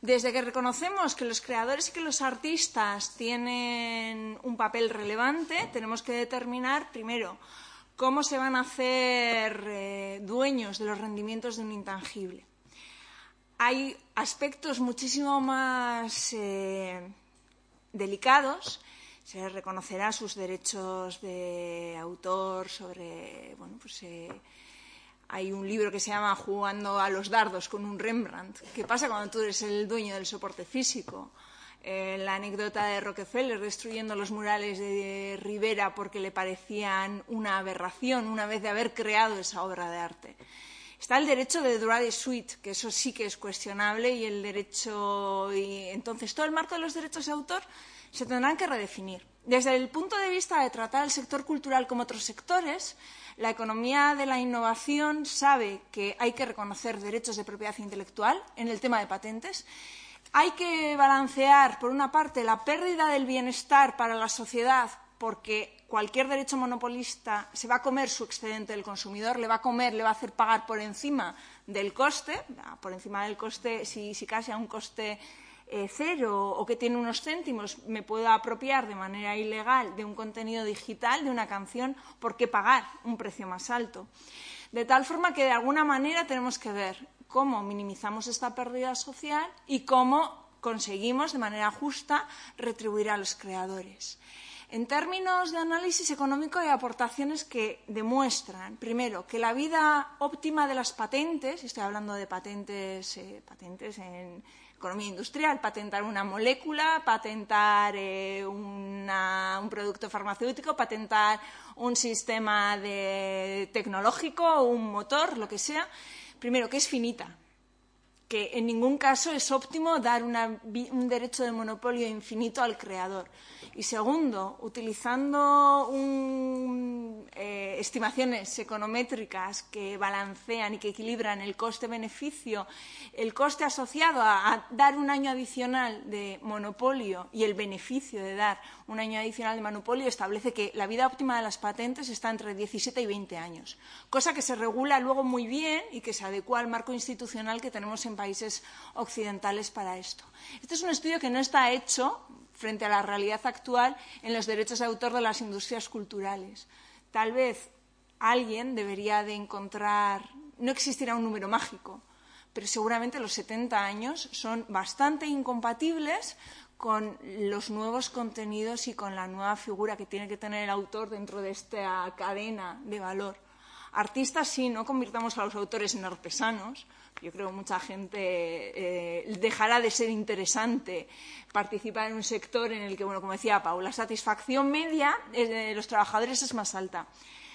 Desde que reconocemos que los creadores y que los artistas tienen un papel relevante, tenemos que determinar, primero, cómo se van a hacer dueños de los rendimientos de un intangible. Hay aspectos muchísimo más delicados. Se reconocerá sus derechos de autor sobre... Bueno, pues hay un libro que se llama Jugando a los dardos con un Rembrandt. ¿Qué pasa cuando tú eres el dueño del soporte físico? La anécdota de Rockefeller destruyendo los murales de Rivera porque le parecían una aberración una vez de haber creado esa obra de arte. Está el derecho de droit de suite, que eso sí que es cuestionable, y el derecho... Y entonces, todo el marco de los derechos de autor se tendrán que redefinir. Desde el punto de vista de tratar el sector cultural como otros sectores, la economía de la innovación sabe que hay que reconocer derechos de propiedad intelectual en el tema de patentes. Hay que balancear, por una parte, la pérdida del bienestar para la sociedad, porque cualquier derecho monopolista se va a comer su excedente del consumidor, le va a hacer pagar por encima del coste, si casi a un coste cero o que tiene unos céntimos, me puedo apropiar de manera ilegal de un contenido digital, de una canción, ¿por qué pagar un precio más alto? De tal forma que, de alguna manera, tenemos que ver cómo minimizamos esta pérdida social y cómo conseguimos, de manera justa, retribuir a los creadores. En términos de análisis económico, hay aportaciones que demuestran, primero, que la vida óptima de las patentes, estoy hablando de patentes en economía industrial, patentar una molécula, patentar un producto farmacéutico, patentar un sistema tecnológico, un motor, lo que sea, primero, que es finita, que en ningún caso es óptimo dar un derecho de monopolio infinito al creador. Y segundo, utilizando estimaciones econométricas que balancean y que equilibran el coste-beneficio, el coste asociado a dar un año adicional de monopolio y el beneficio de dar un año adicional de monopolio, establece que la vida óptima de las patentes está entre 17 y 20 años, cosa que se regula luego muy bien y que se adecua al marco institucional que tenemos en países occidentales para esto. Este es un estudio que no está hecho frente a la realidad actual en los derechos de autor de las industrias culturales. Tal vez alguien debería de encontrar, no existirá un número mágico, pero seguramente los 70 años son bastante incompatibles con los nuevos contenidos y con la nueva figura que tiene que tener el autor dentro de esta cadena de valor. Artistas sí, no convirtamos a los autores en artesanos. Yo creo que mucha gente dejará de ser interesante participar en un sector en el que, bueno, como decía Pau, la satisfacción media de los trabajadores es más alta.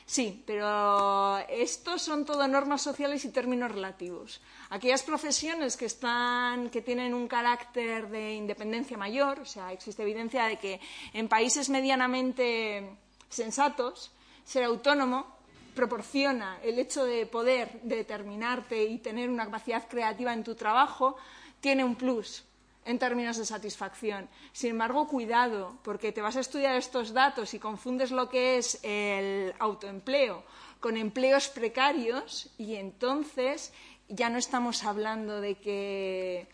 Sí, pero estos son todo normas sociales y términos relativos. Aquellas profesiones que tienen un carácter de independencia mayor, o sea, existe evidencia de que en países medianamente sensatos, ser autónomo proporciona el hecho de poder determinarte y tener una capacidad creativa en tu trabajo, tiene un plus en términos de satisfacción. Sin embargo, cuidado, porque te vas a estudiar estos datos y confundes lo que es el autoempleo con empleos precarios y entonces ya no estamos hablando de que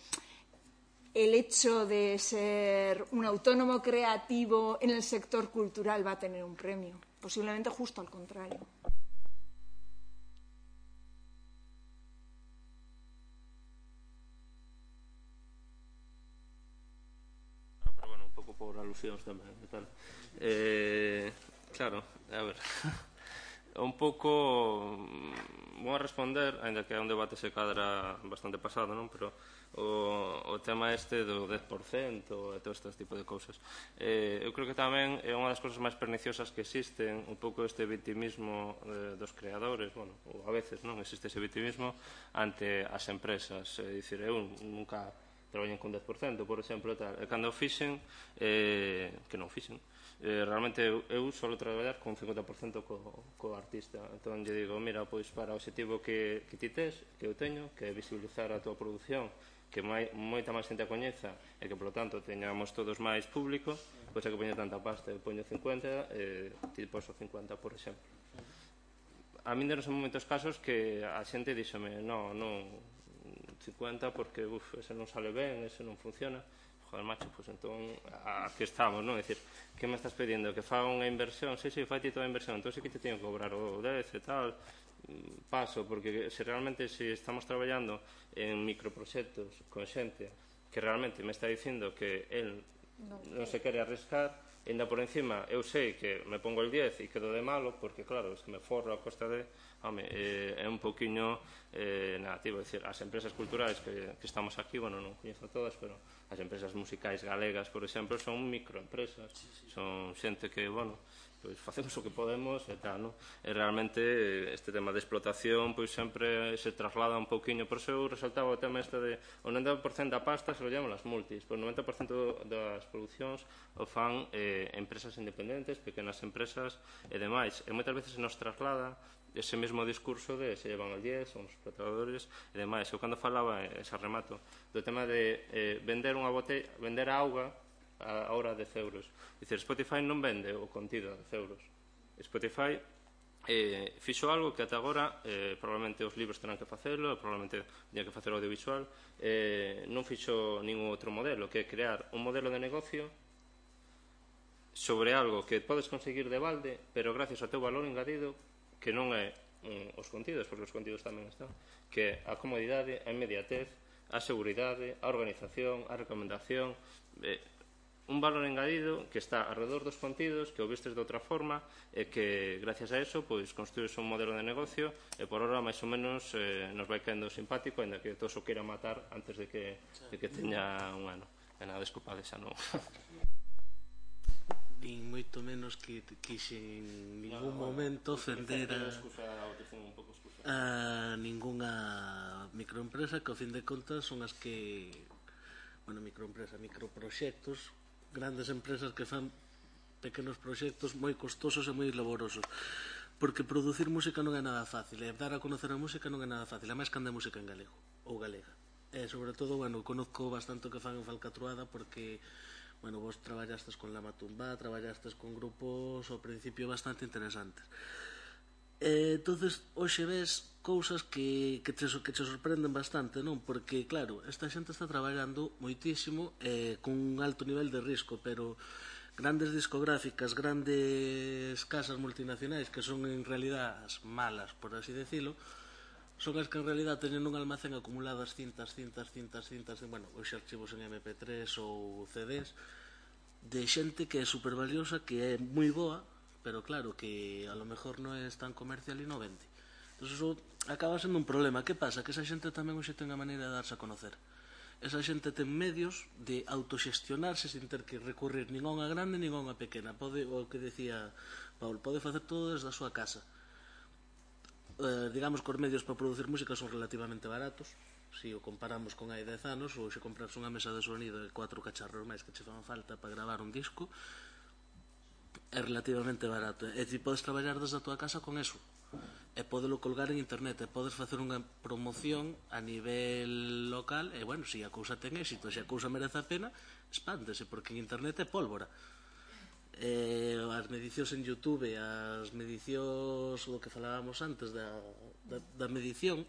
el hecho de ser un autónomo creativo en el sector cultural va a tener un premio. Posiblemente justo al contrario. Por alusións tamén e tal. Claro, a ver un pouco vou a responder, ainda que é un debate se cadra bastante pasado, non? Pero o tema este do 10% e todo este tipo de cousas, eu creo que tamén é unha das cousas máis perniciosas que existen, un pouco este vitimismo dos creadores, bueno, ou a veces non existe ese vitimismo ante as empresas, é dicir, eu nunca traballen con 10%, por exemplo, tal. E cando fixen, que non fixen, realmente eu solo traballar con 50% co artista. Entón, lle digo, mira, pois para o objetivo que ti tes, que eu teño, que é visibilizar a tua produción, que moita máis xente a coñeza e que, polo tanto, teñamos todos máis público, pois é que poño tanta pasta, eu poño 50 e ti poso 50, por exemplo. A min denos en momentos casos que a xente díxome, non 50 porque ese non sale ben, ese non funciona. Joder, macho, pois entón aquí estamos, non? É dicir, que me estás pedindo? Que faga unha inversión? Sí, fai ti toda a inversión, entón sí que te teño que cobrar o 10 e tal. Paso, porque se realmente estamos traballando en microproxectos con xente que realmente me está dicindo que el non se quere arriscar, e ainda por encima eu sei que me pongo el 10 e quedo de malo, porque claro, se me forro a costa de é un pouquiño negativo. É dicir, as empresas culturais que estamos aquí, bueno, non coñezo todas, pero as empresas musicais galegas, por exemplo, son microempresas, son xente que, bueno, pois facemos o que podemos e tal, non? E realmente este tema de explotación pois sempre se traslada un pouquiño, por eso eu resaltaba o tema este de o 90% da pasta se lo llaman as multis, pois o 90% das producións o fan empresas independentes, pequenas empresas e demais, e moitas veces se nos traslada ese mesmo discurso de se llevan al 10, son os explotadores e demais. Eu cando falaba, ese remato, do tema de vender unha botella, vender a auga a hora 10 euros. Dicir, Spotify non vende o contido a 10 euros. Spotify fixo algo que ata agora probablemente os libros terán que facelo, probablemente teña que facer o audiovisual, non fixo ningún outro modelo, que é crear un modelo de negocio sobre algo que podes conseguir de balde, pero gracias ao teu valor engadido, que non é os contidos, porque os contidos tamén están, que a comodidade, a inmediatez, a seguridade, a organización, a recomendación, un valor engadido que está alrededor dos contidos, que o vistes de outra forma e que gracias a eso pois construís un modelo de negocio e por ahora máis ou menos nos vai caendo simpático, ainda que todos o queira matar antes de que teña un ano. E nada, desculpade, xa non. Nin moito menos que en ningún momento ofender a ningunha microempresa, que ao fin de contas son as que, bueno, microproxectos, grandes empresas que fan pequenos proxectos moi costosos e moi laborosos, porque producir música non é nada fácil, e dar a conocer a música non é nada fácil, a máis cando é música en galego ou galega. E sobre todo, bueno, conozco bastante o que fan en Falcatruada, porque bueno, vos traballastes con Lama Tumbá, traballastes con grupos ao principio bastante interesantes. Entonces, hoxe ves cousas que te sorprenden bastante, non? Porque, claro, esta xente está traballando moitísimo con un alto nivel de risco, pero grandes discográficas, grandes casas multinacionais, que son en realidad as malas, por así decirlo, son as que en realidad teñen un almacén acumuladas cintas, bueno, os archivos en MP3 ou CDs, de xente que é super valiosa, que é moi boa, pero claro, que a lo mejor non é tan comercial e non vende. Entón, eso acaba sendo un problema. Que pasa? Que esa xente tamén hoxe ten a maneira de darse a conocer. Esa xente ten medios de autoxestionarse sin ter que recurrir nin a unha grande nin a unha pequena. Pode, o que decía Paul, pode facer todo desde a súa casa. digamos que os medios para producir música son relativamente baratos. Se o comparamos con hai 10 anos, ou se comprarse unha mesa de sonido e 4 cacharros máis que che fan falta para gravar un disco, é relativamente barato. E ti podes traballar desde a tua casa con eso. E podelo colgar en internet, e podes facer unha promoción a nivel local, e, bueno, se a cousa ten éxito, se a cousa merece a pena, expándese, porque en internet é pólvora. As medicións en YouTube, as medicións do que falábamos antes da medición,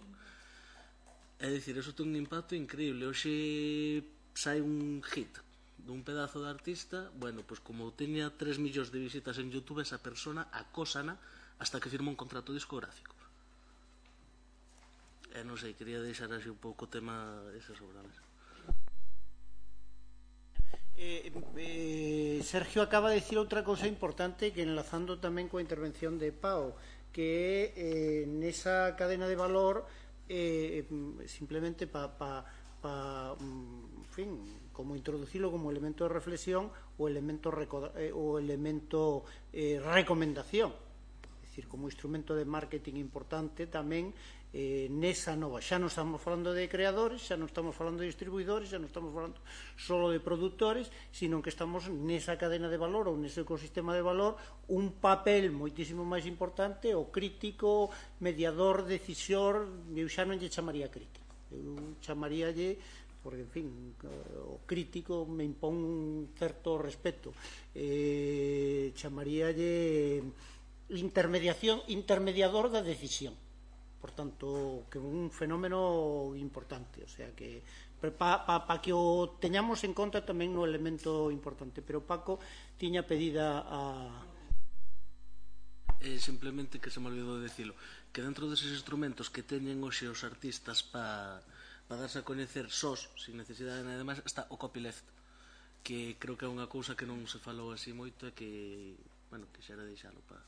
é dicir, eso ten un impacto increíble. Hoxe sai un hit dun pedazo de artista, bueno, pois como teña 3 millóns de visitas en YouTube, esa persona acósana hasta que firma un contrato discográfico. Non sei, quería deixar así un pouco o tema ese sobre a mesa. Sergio acaba de decir outra cousa importante que enlazando tamén coa intervención de Pau, que é nesa cadena de valor simplemente en fin, como introducilo como elemento de reflexión o elemento recomendación, é dicir, como instrumento de marketing importante tamén nesa nova. Xa non estamos falando de creadores, xa non estamos falando de distribuidores, xa non estamos falando solo de productores, sino que estamos nesa cadena de valor ou nese ecosistema de valor un papel moitísimo máis importante, o crítico, mediador, decisor. Eu xa non lle chamaría crítico, eu chamaríalle, porque, en fin, o crítico me impón un certo respeto, chamaríalle intermediador da decisión. Por tanto, que é un fenómeno importante, o sea que para que o teñamos en conta tamén no elemento importante. Pero Paco tiña pedida a... Simplemente que se me olvidou de dicilo, que dentro deses instrumentos que teñen hoxe os artistas para darse a coñecer sós, sin necesidade de nada máis, está o copyleft, que creo que é unha cousa que non se falou así moito e que, bueno, quixera deixalo para...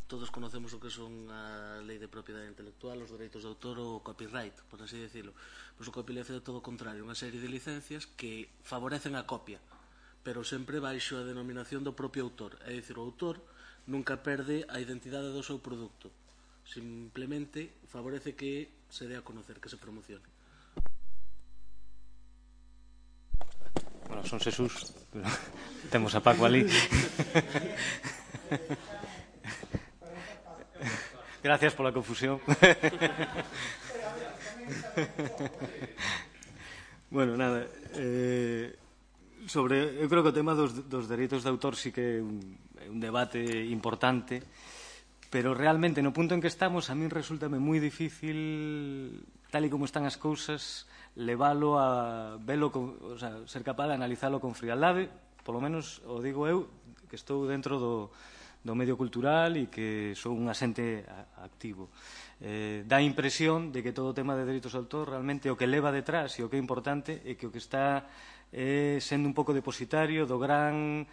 Todos conocemos o que son a lei de propiedade intelectual, os dereitos de autor ou o copyright, por así decirlo. Pois o copyleft é todo o contrario, unha serie de licencias que favorecen a copia, pero sempre baixo a denominación do propio autor. É dicir, o autor nunca perde a identidade do seu produto, simplemente favorece que se dé a conocer, que se promocione. Bueno, son Xesús, pero temos a Paco ali. Gracias pola confusión. Bueno, nada, eu creo que o tema dos dereitos de autor sí que é un debate importante, pero realmente no punto en que estamos a min resultame moi difícil, tal e como están as cousas, leválo a velo, o sea, ser capaz de analizalo con frialdade, polo menos o digo eu, que estou dentro do medio cultural e que sou un asente activo. Dá a impresión de que todo o tema de dereitos de autor realmente o que leva detrás e o que é importante é que o que está sendo un pouco depositario do gran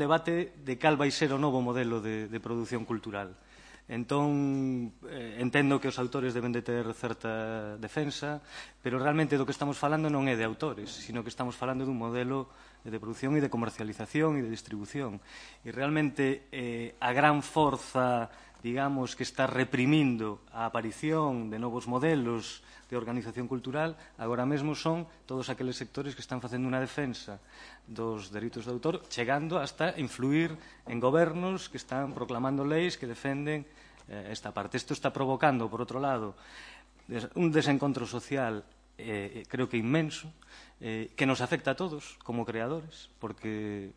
debate de cal vai ser o novo modelo de produción cultural. Entón, entendo que os autores deben de ter certa defensa, pero realmente do que estamos falando non é de autores, sino que estamos falando dun modelo de producción e de comercialización e de distribución. E realmente a gran forza, digamos, que está reprimindo a aparición de novos modelos de organización cultural agora mesmo son todos aqueles sectores que están facendo unha defensa dos dereitos de autor, chegando hasta influir en gobernos que están proclamando leis que defenden esta parte. Isto está provocando, por outro lado, un desencontro social creo que inmenso, que nos afecta a todos como creadores, porque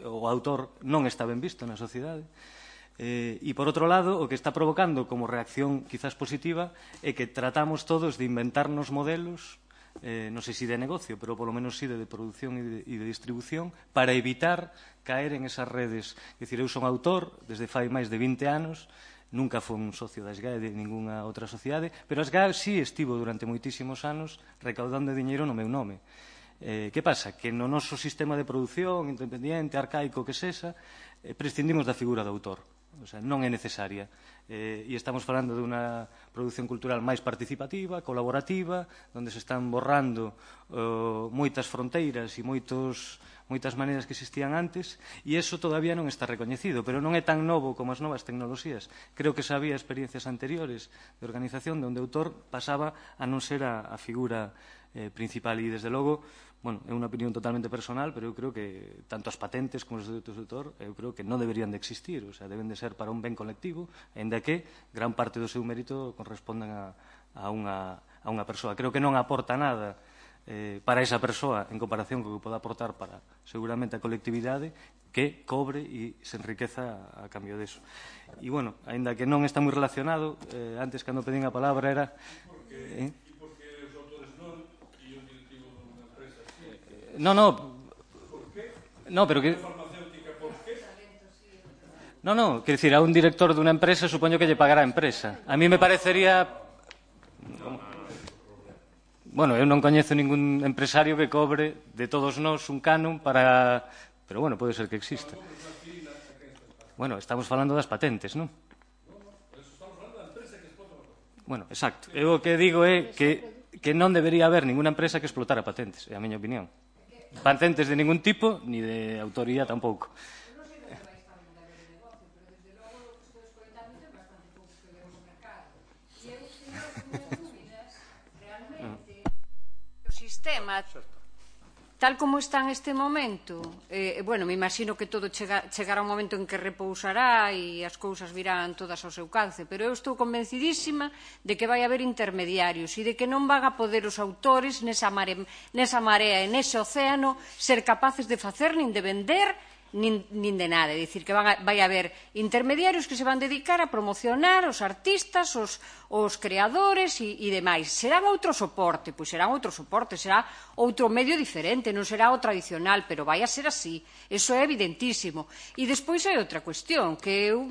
o autor non está ben visto na sociedade. E, por outro lado, o que está provocando como reacción quizás positiva é que tratamos todos de inventarnos modelos, non sei se de negocio, pero polo menos sí de produción e de distribución, para evitar caer en esas redes. É dicir, eu son autor desde fai máis de 20 anos, nunca foi un socio da SGAE de ninguna outra sociedade, pero a SGAE sí estivo durante moitísimos anos recaudando diñeiro no meu nome. Que pasa? Que no noso sistema de produción independiente, arcaico que sexa, prescindimos da figura do autor. O sea, non é necesaria. E estamos falando de unha produción cultural máis participativa, colaborativa, onde se están borrando moitas fronteiras e moitas maneiras que existían antes, e iso todavía non está recoñecido, pero non é tan novo como as novas tecnoloxías. Creo que xa había experiencias anteriores de organización onde o autor pasaba a non ser a figura principal, e desde logo, bueno, é unha opinión totalmente personal, pero eu creo que tanto as patentes como os dereitos de autor, eu creo que non deberían de existir, o sea, deben de ser para un ben colectivo, ainda que gran parte do seu mérito correspondan a unha persoa. Creo que non aporta nada para esa persoa en comparación co que pode aportar para seguramente a colectividade, que cobre e se enriqueza a cambio deso. E, bueno, ainda que non está moi relacionado, antes cando pedín a palabra era... No, pero que... No, quer dicir, a un director dunha empresa supoño que lle pagará a empresa. A mí me parecería... Bueno, eu non coñezo ningún empresario que cobre de todos nós un canon para... Pero, bueno, pode ser que exista. Bueno, estamos falando das patentes, non? Bueno, exacto. Eu o que digo é que non debería haber ninguna empresa que explotara patentes, é a miña opinión. Patentes de ningún tipo, ni de autoría tampouco. O sistema, tal como está en este momento, bueno, me imagino que todo chegará un momento en que repousará e as cousas virán todas ao seu calce, pero eu estou convencidísima de que vai haber intermediarios e de que non van a poder os autores nesa marea e nese océano ser capaces de facer nin de vender nin de nada, é dicir, que vai haber intermediarios que se van dedicar a promocionar os artistas, os creadores e demais. Serán outro soporte, pois serán outro soporte, será outro medio diferente, non será o tradicional, pero vai a ser así, eso é evidentísimo. E despois hai outra cuestión, que eu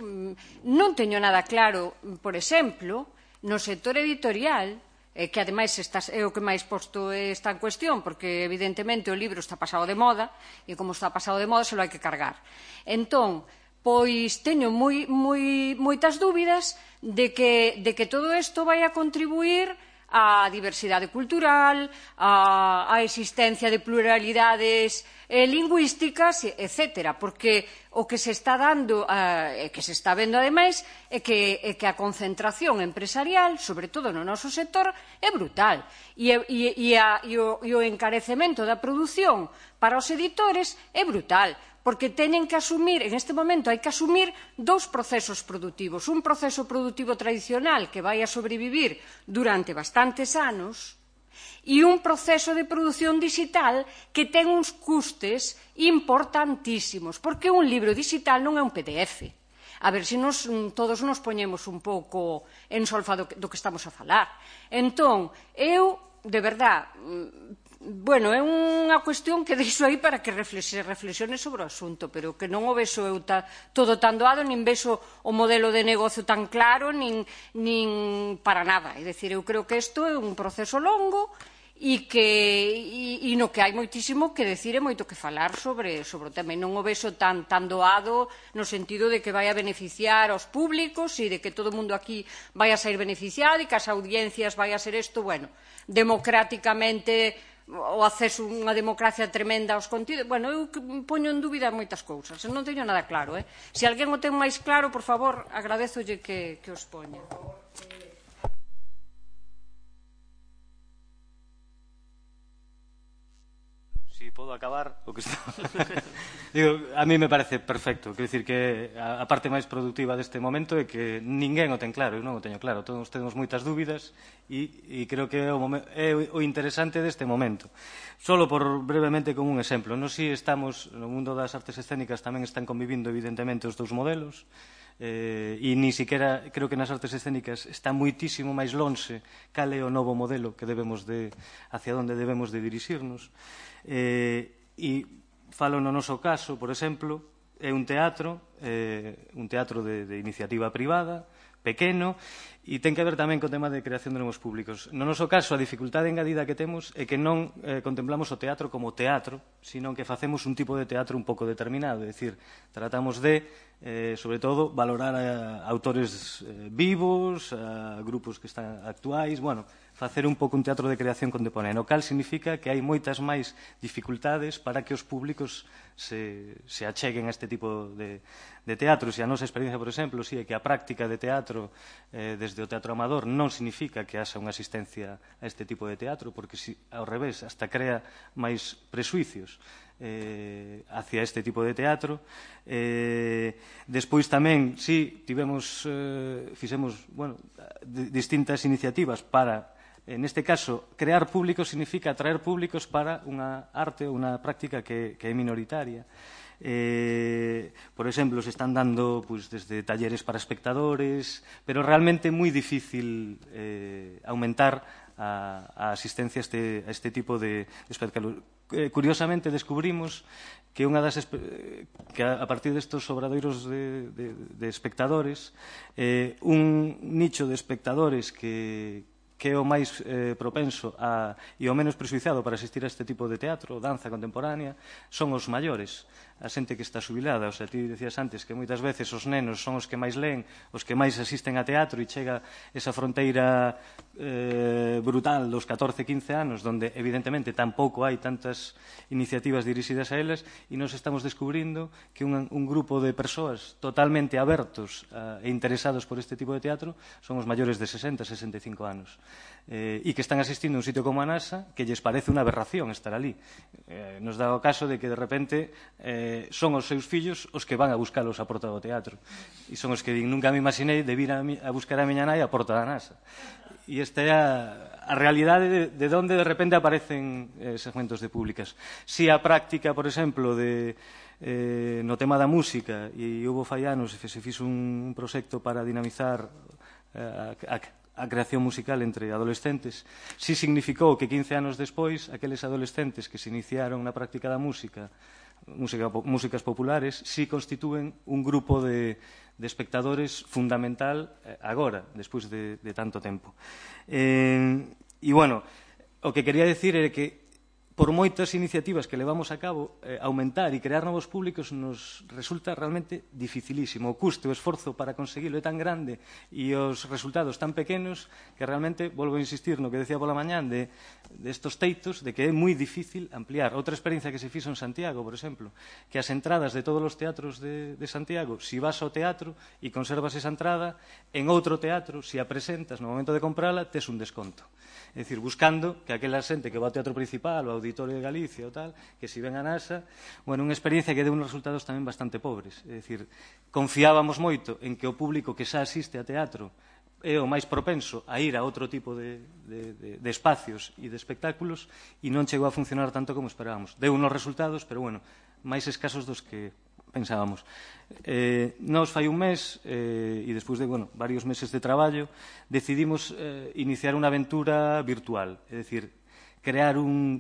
non teño nada claro, por exemplo, no sector editorial, que ademais é o que máis posto está en cuestión, porque evidentemente o libro está pasado de moda, e como está pasado de moda se lo hai que cargar. Entón, pois teño moitas dúbidas de que todo isto vai a contribuir á diversidade cultural, á existencia de pluralidades lingüísticas, etc. Porque o que se está dando, que se está vendo ademais, é que a concentración empresarial, sobre todo no noso sector, é brutal. E o encarecemento da produción para os editores é brutal, porque teñen que asumir, en este momento hai que asumir dous procesos produtivos. Un proceso produtivo tradicional que vai a sobrevivir durante bastantes anos, e un proceso de produción digital que ten uns custes importantísimos, porque un libro digital non é un PDF. A ver se todos nos poñemos un pouco en solfa do que estamos a falar. Entón, eu, de verdad, bueno, é unha cuestión que deixo aí para que reflexione sobre o asunto, pero que non o vexo eu todo tan doado, nin vexo o modelo de negocio tan claro, nin para nada. É dicir, eu creo que isto é un proceso longo e no que hai moitísimo que decir e moito que falar sobre o tema. Non o vexo tan doado no sentido de que vai a beneficiar aos públicos e de que todo o mundo aquí vai a sair beneficiado e que as audiencias vai a ser isto, bueno, democráticamente o acceso a unha democracia tremenda aos contidos. Bueno, eu poño en dúbida moitas cousas, non teño nada claro. Se alguén o ten máis claro, por favor, agradezolle que os poña. Si podo acabar o que está... Digo, a mí me parece perfecto. Quero dicir que a parte máis productiva deste momento é que ninguén o ten claro, eu non o teño claro. Todos temos moitas dúbidas e creo que é o interesante deste momento. Solo por brevemente como un exemplo. Nos si estamos, no mundo das artes escénicas tamén están convivindo evidentemente os dous modelos, e ni siquiera creo que nas artes escénicas está moitísimo máis lonxe cal é o novo modelo que debemos hacia onde debemos de dirixirnos. E falo no noso caso, por exemplo, é un teatro un teatro de iniciativa privada, pequeno, e ten que ver tamén co tema de creación de novos públicos. No noso caso, a dificultade engadida que temos é que non contemplamos o teatro como teatro, sino que facemos un tipo de teatro un pouco determinado, é dicir, tratamos de, sobre todo, valorar a autores vivos, a grupos que están actuais, bueno, facer un pouco un teatro de creación contemporánea, o cal significa que hai moitas máis dificultades para que os públicos se acheguen a este tipo de teatros. E a nosa experiencia, por exemplo, é que a práctica de teatro desde o teatro amador non significa que haxa unha asistencia a este tipo de teatro, porque ao revés, hasta crea máis presuicios hacia este tipo de teatro. Despois tamén, fixemos distintas iniciativas para, neste caso, crear públicos significa atraer públicos para unha arte ou unha práctica que é minoritaria. Por exemplo, se están dando desde talleres para espectadores, pero realmente é moi difícil aumentar a asistencia a este tipo de espectáculos. Curiosamente, descubrimos que a partir destos obradoiros de espectadores, un nicho de espectadores que é o máis propenso e o menos presuizado para asistir a este tipo de teatro, danza contemporánea, son os maiores, a xente que está xubilada. O sea, ti decías antes que moitas veces os nenos son os que máis leen, os que máis asisten a teatro, e chega esa fronteira brutal dos 14-15 anos, donde evidentemente tampouco hai tantas iniciativas dirixidas a eles, e nos estamos descubrindo que un grupo de persoas totalmente abertos e interesados por este tipo de teatro son os maiores de 60-65 anos. E que están asistindo a un sitio como a NASA que lles parece unha aberración estar ali. Nos dá o caso de que de repente son os seus fillos os que van a buscalos a porta do teatro, e son os que nunca me imaginei de vir a buscar a miña nai a porta da NASA. E esta é a realidade de onde de repente aparecen segmentos de públicas. Si a práctica, por exemplo, no tema da música, e houve fai anos se fixo un proxecto para dinamizar a creación musical entre adolescentes, si significou que 15 anos despois aqueles adolescentes que se iniciaron na práctica da músicas populares, si constitúen un grupo de espectadores fundamental agora, despois de tanto tempo. E, bueno, o que quería decir é que por moitas iniciativas que levamos a cabo, aumentar e crear novos públicos nos resulta realmente dificilísimo. O custo e o esforzo para conseguilo é tan grande e os resultados tan pequenos que realmente, volvo a insistir no que decía pola mañán de estos teitos, de que é moi difícil ampliar. Outra experiencia que se fixo en Santiago, por exemplo, que as entradas de todos os teatros de Santiago, si vas ao teatro e conservas esa entrada, en outro teatro, si a presentas no momento de comprala, tes un desconto. É dicir, buscando que aquela xente que va ao teatro principal, ao Auditorio de Galicia ou tal, que si ven a NASA, bueno, unha experiencia que deu uns resultados tamén bastante pobres. É dicir, confiábamos moito en que o público que xa asiste a teatro é o máis propenso a ir a outro tipo de espacios e de espectáculos, e non chegou a funcionar tanto como esperábamos. Deu uns resultados, pero, bueno, máis escasos dos que pensábamos. Nos fai un mes, e despois de varios meses de traballo, decidimos iniciar unha aventura virtual, é dicir,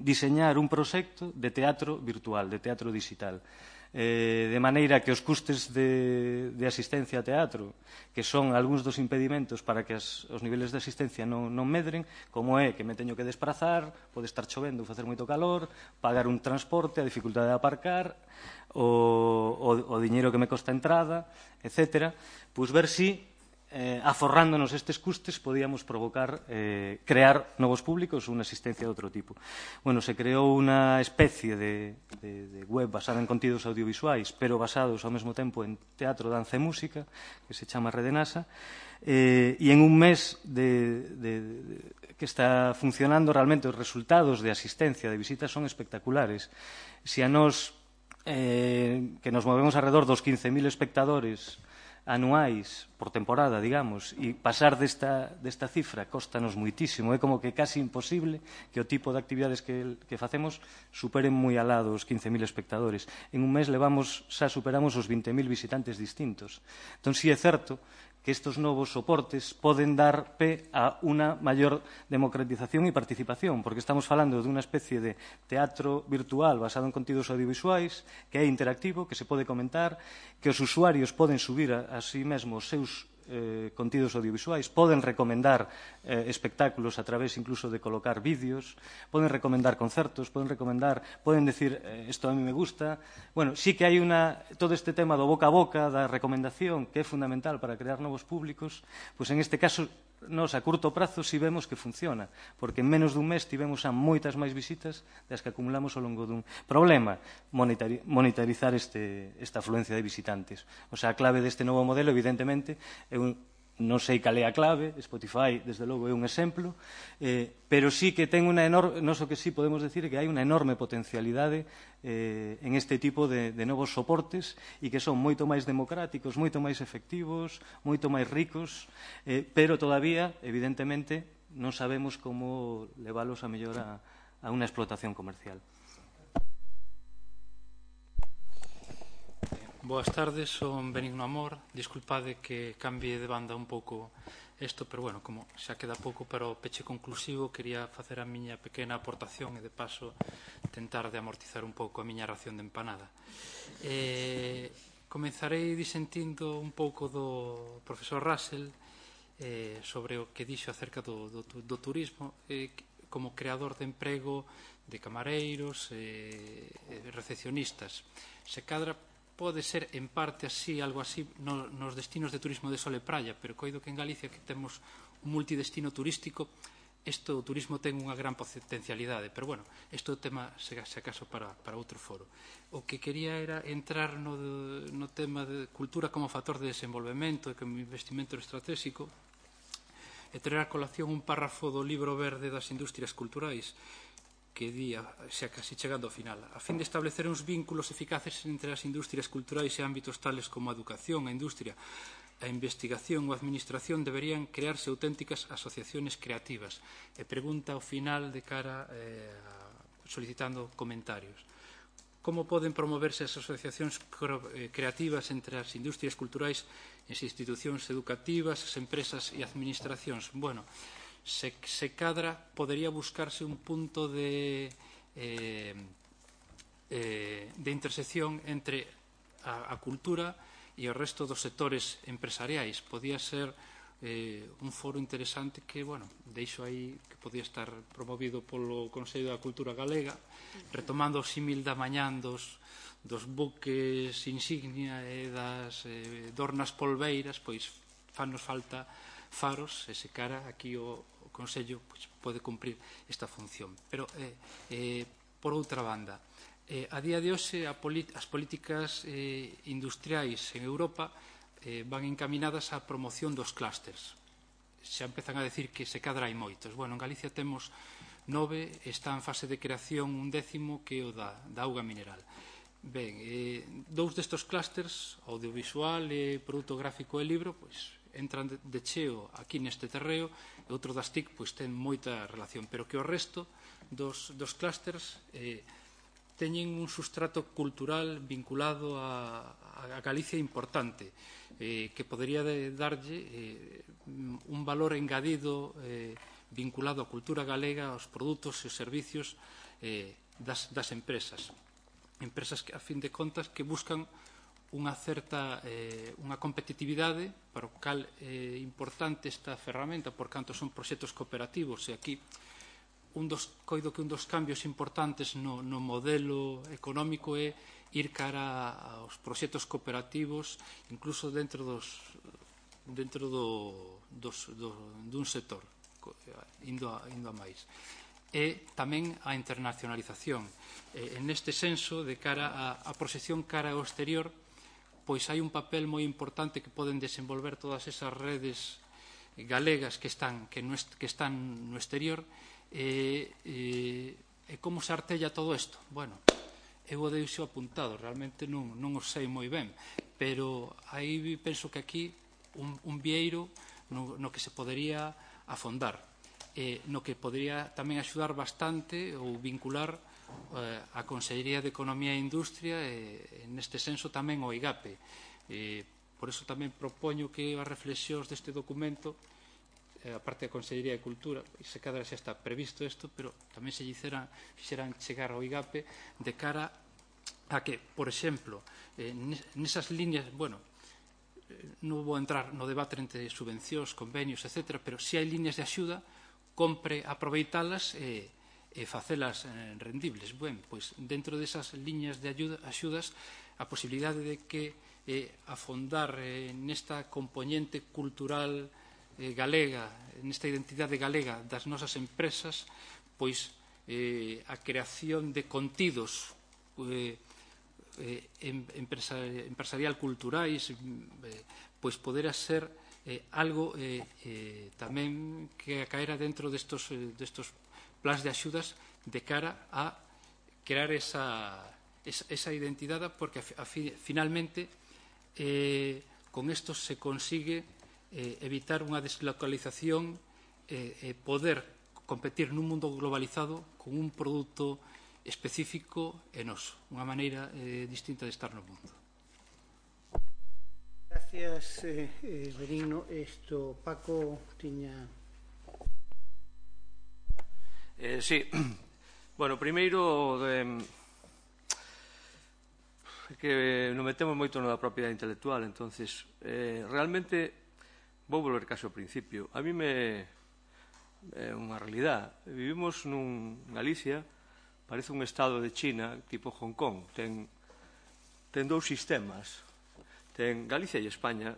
diseñar un proxecto de teatro virtual, de teatro digital, de maneira que os custes de asistencia a teatro, que son algúns dos impedimentos para que os niveles de asistencia non medren, como é que me teño que desplazar, pode estar chovendo ou facer moito calor, pagar un transporte, a dificultade de aparcar, o diñeiro que me costa a entrada, etc., pois ver si aforrándonos estes custes podíamos provocar crear novos públicos ou unha asistencia de outro tipo. Bueno, se creou unha especie de web basada en contidos audiovisuais, pero basados ao mesmo tempo en teatro, danza e música, que se chama Rede NASA, e en un mes que está funcionando, realmente os resultados de asistencia, de visitas, son espectaculares. Se a nós, que nos movemos alrededor dos 15.000 espectadores anuais por temporada, digamos, e pasar desta cifra costanos moitísimo. É como que casi imposible que o tipo de actividades que facemos superen moi alá dos 15.000 espectadores. En un mes xa superamos os 20.000 visitantes distintos. Entón, si é certo que estos novos soportes poden dar pé a unha maior democratización e participación, porque estamos falando dunha especie de teatro virtual basado en contidos audiovisuais, que é interactivo, que se pode comentar, que os usuarios poden subir a sí mesmos os seus contidos audiovisuais, poden recomendar espectáculos a través incluso de colocar vídeos, poden recomendar concertos, poden decir isto a mí me gusta. Bueno, sí que hai todo este tema do boca a boca, da recomendación, que é fundamental para crear novos públicos, pois en este caso nos a curto prazo si vemos que funciona, porque en menos dun mes tivemos a moitas máis visitas das que acumulamos ao longo dun problema, monetarizar esta afluencia de visitantes. O sea, a clave deste novo modelo, evidentemente, non sei cal é a clave, Spotify, desde logo, é un exemplo, pero sí que ten unha enorme, non só que sí podemos decir que hai unha enorme potencialidade en este tipo de novos soportes e que son moito máis democráticos, moito máis efectivos, moito máis ricos, pero todavía, evidentemente, non sabemos como leválos a mellor a unha explotación comercial. Boas tardes, son Benigno Amor. Disculpade que cambie de banda un pouco isto, pero bueno, como xa queda pouco para o peche conclusivo, quería facer a miña pequena aportación e de paso tentar de amortizar un pouco a miña ración de empanada. Comenzarei disentindo un pouco do profesor Russell sobre o que dixo acerca do turismo como creador de emprego de camareiros e recepcionistas. Se cadra pode ser en parte así, algo así, nos destinos de turismo de sol e praia, pero coido que en Galicia que temos un multidestino turístico, o turismo ten unha gran potencialidade, pero bueno, isto é o tema, se acaso, para outro foro. O que quería era entrar no tema de cultura como factor de desenvolvemento e como investimento estratégico e traer a colación un párrafo do libro verde das industrias culturais, que di, xa casi chegando ao final, a fin de establecer uns vínculos eficaces entre as industrias culturais e ámbitos tales como a educación, a industria, a investigación ou a administración deberían crearse auténticas asociaciones creativas. E pregunta ao final de cara solicitando comentarios. Como poden promoverse as asociacións creativas entre as industrias culturais e as institucións educativas, as empresas e administracións? Bueno, se cadra, podería buscarse un punto de intersección entre a cultura e o resto dos sectores empresariais. Podía ser un foro interesante que, bueno, deixo aí que podía estar promovido polo Consello da Cultura Galega, retomando o símil da mañán dos buques insignia e das dornas polveiras, pois fanos falta faros, e se cara aquí o Consello pode cumprir esta función. Pero, por outra banda, a día de hoxe as políticas industriais en Europa van encaminadas á promoción dos clústers. Xa empezan a decir que se cadra hai moitos. Bueno, en Galicia temos 9, está en fase de creación un 10º que é o da auga mineral. Ben, 2 destes clústers, audiovisual e produto gráfico e libro, pois entran de cheo aquí neste terreo, e outro das TIC pois ten moita relación, pero que o resto dos clústers teñen un sustrato cultural vinculado a Galicia importante, que podería darlle un valor engadido vinculado á cultura galega, aos produtos e os servicios das empresas. Empresas que, a fin de contas, que buscan unha certa unha competitividade, para o cal é importante esta ferramenta, por canto son proxectos cooperativos, e aquí coido que un dos cambios importantes no modelo económico é ir cara aos proxectos cooperativos, incluso dentro dun sector, indo a máis. E tamén a internacionalización. En este senso, de cara a proxección cara ao exterior, pois hai un papel moi importante que poden desenvolver todas esas redes galegas que están no exterior. E como se artella todo isto? Bueno, eu o deixo apuntado, realmente non o sei moi ben, pero aí penso que aquí un vieiro no que se podería afondar, no que podería tamén axudar bastante ou vincular a Consellería de Economía e Industria, e neste senso tamén o IGAPE, por eso tamén propoño que as reflexións deste documento, a parte da Consellería de Cultura, se cadra xa está previsto isto, pero tamén se fixeran chegar ao IGAPE de cara a que, por exemplo, nesas líneas, bueno, non vou entrar no debate entre subvencións, convenios, etc., pero se hai líneas de axuda, compre aproveitalas e facelas rendibles. Ben, pois, dentro desas líneas de axudas, a posibilidade de que afondar nesta componente cultural galega, nesta identidade galega das nosas empresas, pois a creación de contidos empresarial culturais, pois poderá ser algo tamén que caera dentro destos plans de axudas de cara a crear esa identidade, porque finalmente con isto se consigue evitar unha deslocalización e poder competir nun mundo globalizado con un produto específico e noso, unha maneira distinta de estar no mundo. Gracias, Benigno. Paco tiña... Sí. Bueno, primeiro que nos metemos moito na propiedade intelectual, entonces realmente vou volver case ao principio. A mí é unha realidade. Vivimos nun Galicia, parece un estado de China tipo Hong Kong, ten dous sistemas. Ten Galicia e España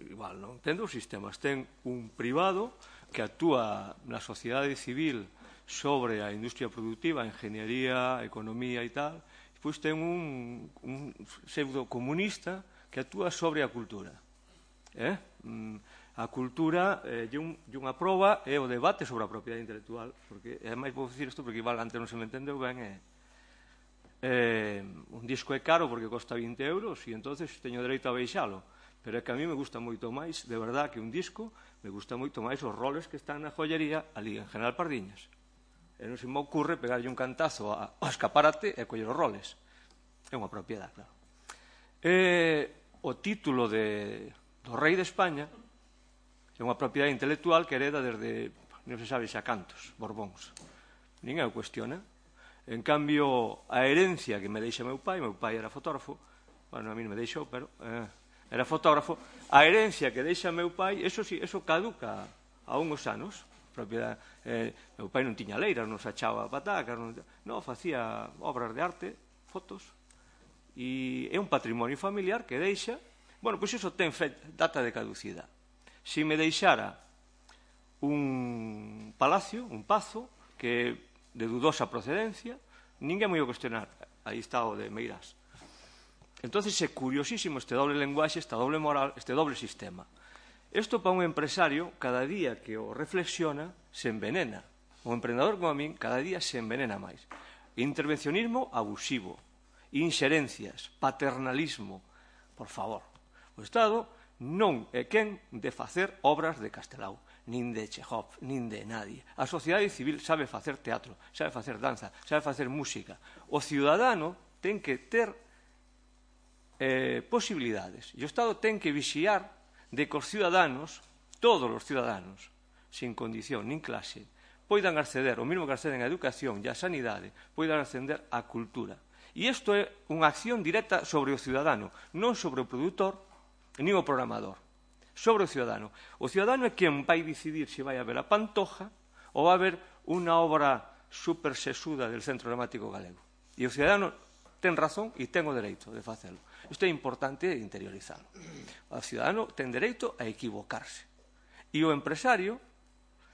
igual, non? Ten dous sistemas. Ten un privado que actúa na sociedade civil sobre a industria productiva, a engenharía, a economía e tal. Pois ten un pseudo comunista que actúa sobre a cultura. A cultura é unha proba é o debate sobre a propiedade intelectual, porque é máis vou dicir isto porque igual antes non se me entendeu ben, un disco é caro porque costa 20 euros e entonces teño dereito a baixalo, pero é que a mí me gusta moito máis, de verdad, que un disco, me gusta moito máis os roles que están na joyería ali en General Pardiñas. E non se me ocurre pegarlle un cantazo ao escaparate e coller os roles. É unha propiedade, claro. O título do rei de España é unha propiedade intelectual que hereda desde, non se sabe xa cantos, Borbóns. Ninguén o cuestiona. En cambio, a herencia que me deixa meu pai era fotógrafo, bueno, a mí non me deixou, pero era fotógrafo, a herencia que deixa meu pai, eso sí, eso caduca a uns anos. Meu pai non tiña leiras, non se achaba patacas, non, facía obras de arte, fotos, e é un patrimonio familiar que deixa, bueno, pois iso ten data de caducidade. Se me deixara un palacio, un pazo, que de dudosa procedencia, ninguén me ia cuestionar. Aí está o de Meirás. Entón, é curiosísimo este doble lenguaxe, esta doble moral, este doble sistema. Isto para un empresario, cada día que o reflexiona, se envenena. O emprendedor como a min, cada día se envenena máis. Intervencionismo abusivo, inxerencias, paternalismo. Por favor, o Estado non é quen de facer obras de Castelao, nin de Chejov, nin de nadie. A sociedade civil sabe facer teatro, sabe facer danza, sabe facer música. O ciudadano ten que ter posibilidades. E o Estado ten que vixiar de que os ciudadanos, todos os ciudadanos, sin condición nin clase, poidan acceder, o mesmo que acceden á educación e á sanidade, poidan acceder á cultura. E isto é unha acción directa sobre o ciudadano, non sobre o produtor, nin o programador, sobre o ciudadano. O ciudadano é quen vai decidir se vai haber a Pantoja ou vai haber unha obra super sesuda del Centro Dramático Galego. E o ciudadano ten razón e ten o dereito de facelo. Isto é importante interiorizarlo. O ciudadano ten dereito a equivocarse. E o empresario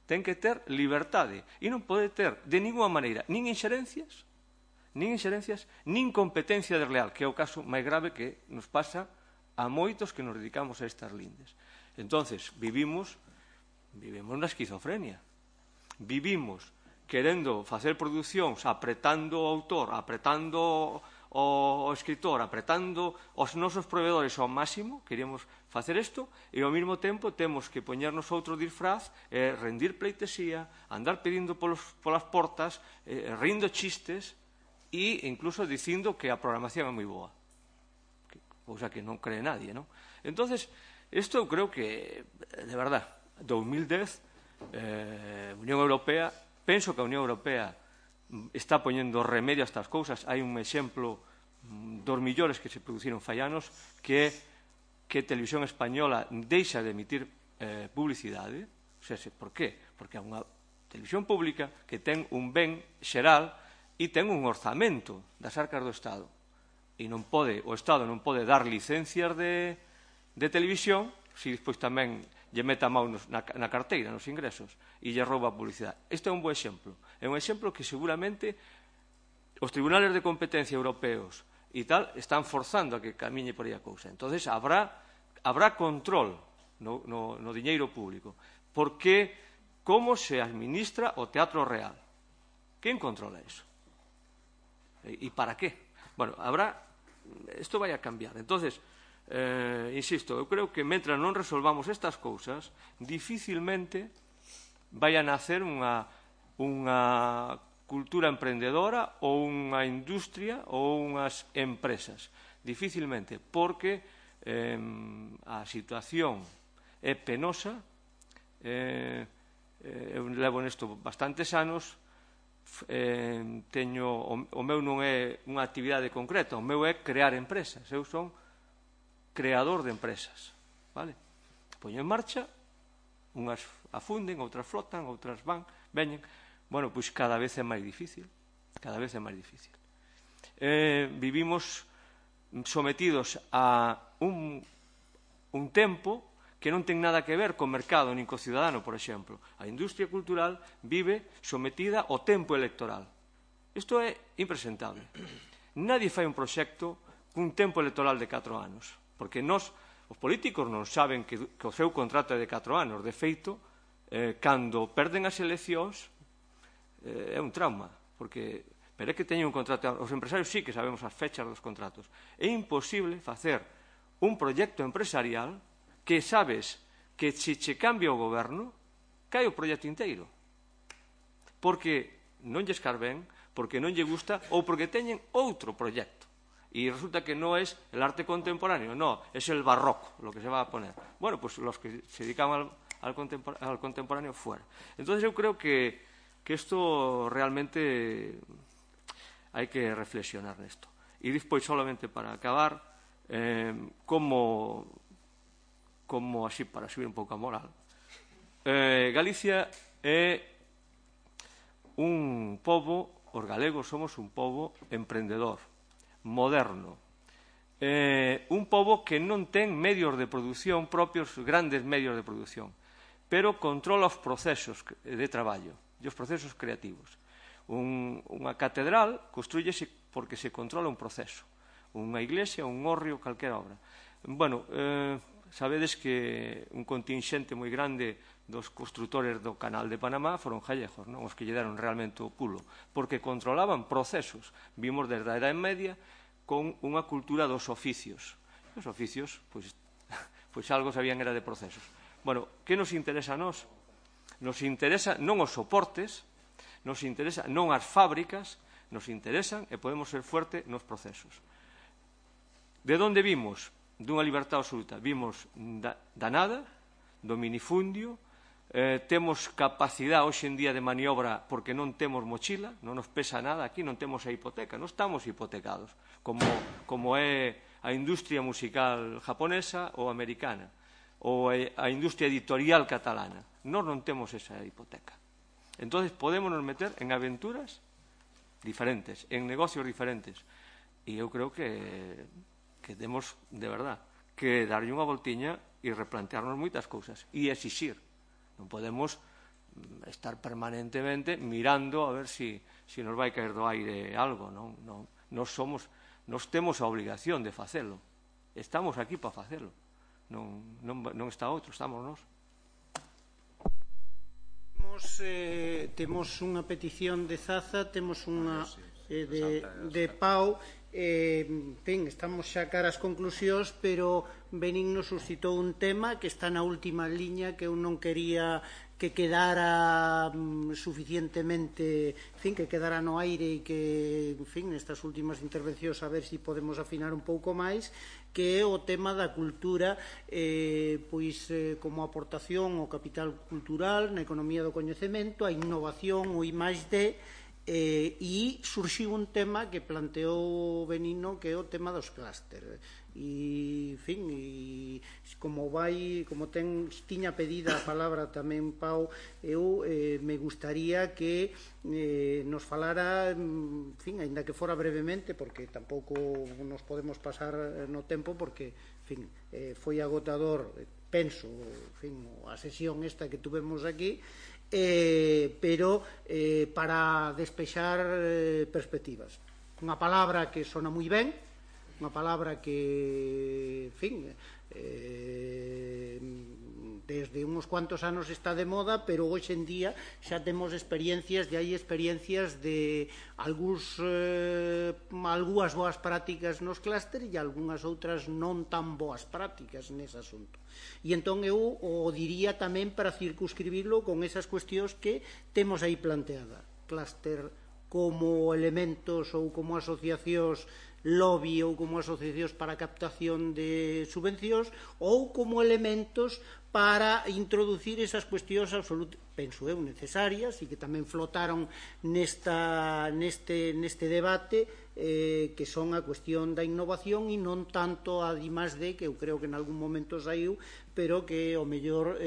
ten que ter liberdade e non pode ter de ninguna maneira nin inxerencias, nin competencia desleal, que é o caso máis grave que nos pasa a moitos que nos dedicamos a estas lindes. Entonces, vivimos na esquizofrenia. Vivimos querendo facer producións, apretando o autor, apretando o escritor, apretando os nosos proveedores ao máximo, queríamos facer isto, e ao mesmo tempo temos que poñernos outro disfraz, rendir pleitesía, andar pedindo polas portas, rindo chistes e incluso dicindo que a programación é moi boa. cousa que non cree nadie, non? Entonces, isto eu creo que, de verdad, 2010, Unión Europea, penso que a Unión Europea está poñendo remedio a estas cousas. Hai un exemplo dos millores que se produciron fai anos, que Televisión Española deixa de emitir publicidade. Por qué? Porque é unha televisión pública que ten un ben xeral e ten un orzamento das arcas do Estado. E o Estado non pode dar licencias de televisión se despois tamén lle meta a mão na carteira, nos ingresos, e lle rouba a publicidade. Este é un bo exemplo. É un exemplo que seguramente os tribunales de competencia europeos e tal están forzando a que camiñe por aí a cousa. Entonces habrá control no diñeiro público, porque como se administra o Teatro Real. Quen controla iso? E para qué? Bueno, isto vai a cambiar. Entonces, insisto, eu creo que mentre non resolvamos estas cousas, dificilmente vai a nacer unha cultura emprendedora ou unha industria ou unhas empresas. Dificilmente, porque a situación é penosa. Eu levo nesto bastantes anos. O meu non é unha actividade concreta, o meu é crear empresas. Eu son creador de empresas. Poño en marcha, unhas afunden, outras flotan, outras veñen. Bueno, pois cada vez é máis difícil. Vivimos sometidos a un tempo que non ten nada que ver co mercado nin co cidadano, por exemplo. A industria cultural vive sometida ao tempo electoral. Isto é impresentable. Nadie fai un proxecto cun tempo electoral de 4 anos, porque os políticos non saben que o seu contrato é de 4 anos. De feito, cando perden as eleccións, é un trauma, pero é que teñen un contrato. Os empresarios sí que sabemos as fechas dos contratos. É imposible facer un proxecto empresarial que sabes que se che cambia o goberno, cae o proxecto inteiro. Porque non lles carben, porque non lle gusta ou porque teñen outro proxecto. Y resulta que no es el arte contemporáneo, no, es el barroco lo que se va a poner. Bueno, pues los que se dedican al contemporáneo fuera. Entonces yo creo que esto realmente hay que reflexionar en esto. Y después, solamente para acabar, como así para subir un pouco a moral, Galicia é un pobo, os galegos somos un pobo emprendedor, moderno, un pobo que non ten medios de produción propios, grandes medios de produción, pero controla os procesos de traballo e os procesos creativos. Unha catedral construyese porque se controla un proceso, unha iglesia, un hórreo, calquera obra. Bueno, sabedes que un contingente moi grande dos construtores do canal de Panamá foron gallejos, non? Os que lle deron realmente o pulo, porque controlaban procesos. Vimos desde a Edade Media con unha cultura dos oficios. Os oficios, pois algo sabían era de procesos. Bueno, que nos interesa a nós? Nos interesa non os soportes, nos interesa non as fábricas, nos interesan e podemos ser fuerte nos procesos. De onde vimos? Dunha libertad absoluta. Vimos da nada, do minifundio, temos capacidade hoxe en día de maniobra porque non temos mochila, non nos pesa nada aquí, non temos a hipoteca, non estamos hipotecados, como é a industria musical japonesa ou americana, ou a industria editorial catalana. Nós non temos esa hipoteca. Entón, podemos nos meter en aventuras diferentes, en negocios diferentes. E eu creo que temos, de verdad, que darlle unha voltiña e replantearnos moitas cousas e exixir. Non podemos estar permanentemente mirando a ver si nos vai caer do aire algo. Nos temos a obligación de facelo. Estamos aquí para facelo. Non está outro, estamos nós. Temos unha petición de Zaza, temos unha de Pau. Estamos xa cara ás conclusións, pero Benín nos suscitou un tema que está na última liña, que eu non quería que quedara suficientemente, que quedara no aire e que, nestas últimas intervencións a ver se podemos afinar un pouco máis. que é o tema da cultura pois como aportación ao capital cultural na economía do coñecemento, a innovación, o I+D, e surxiu un tema que planteou Benigno, que é o tema dos clúster. E, en fin, como tiña pedida a palabra tamén Pau, eu me gustaría que nos falara, en fin, aínda que fora brevemente, porque tampouco nos podemos pasar no tempo, porque, en fin, foi agotador, penso, en fin, a sesión esta que tuvemos aquí, pero para despexar perspectivas. Unha palabra que sona moi ben, unha palabra que, en fin, desde uns cuantos anos está de moda, pero hoxe en día xa temos experiencias, hai experiencias de algunhas boas prácticas nos clúster e algunhas outras non tan boas prácticas nese asunto. E entón eu o diría tamén para circunscribirlo con esas cuestións que temos aí planteada. Clúster como elementos ou como asociacións lobby ou como asociacións para a captación de subvencións ou como elementos para introducir esas cuestións penso eu, necesarias e que tamén flotaron neste debate que son a cuestión da innovación e non tanto a I+D, que eu creo que en algún momento saiu, pero que ao mellor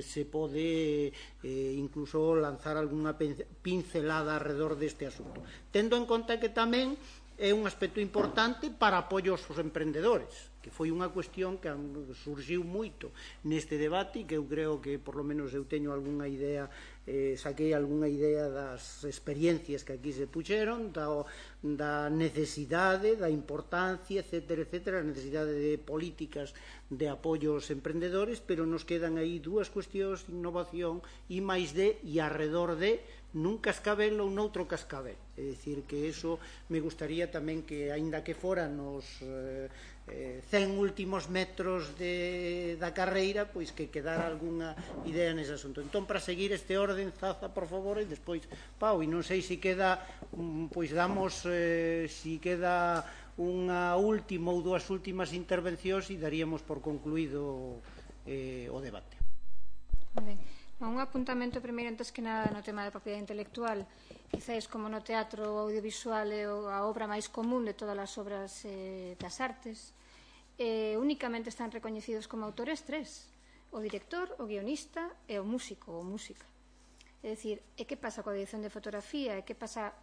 se pode incluso lanzar algunha pincelada alrededor deste asunto, tendo en conta que tamén é un aspecto importante para apoio aos emprendedores, que foi unha cuestión que surgiu moito neste debate e que eu creo que, por lo menos, eu teño algunha idea, saquei algunha idea das experiencias que aquí se puxeron, da necesidade, da importancia, etcétera, etcétera, a necesidade de políticas de apoio aos emprendedores, pero nos quedan aí dúas cuestións, innovación, I+D e arredor de nun cascabel ou noutro cascabel. É dicir, que eso me gustaría tamén que, aínda que fora nos 100 últimos metros da carreira, pois que quedara algunha idea nese asunto. Entón, para seguir este orden, Zaza, por favor, e despois Pau, e non sei se queda, pois damos, se queda unha última ou dúas últimas intervencións e daríamos por concluído o debate. Moi ben. Un apuntamento primeiro, antes que nada, no tema da propiedade intelectual. Quizás, como no teatro audiovisual é a obra máis común de todas as obras das artes, únicamente están recoñecidos como autores tres: o director, o guionista e o músico ou música. É dicir, e que pasa coa dirección de fotografía? E que pasa?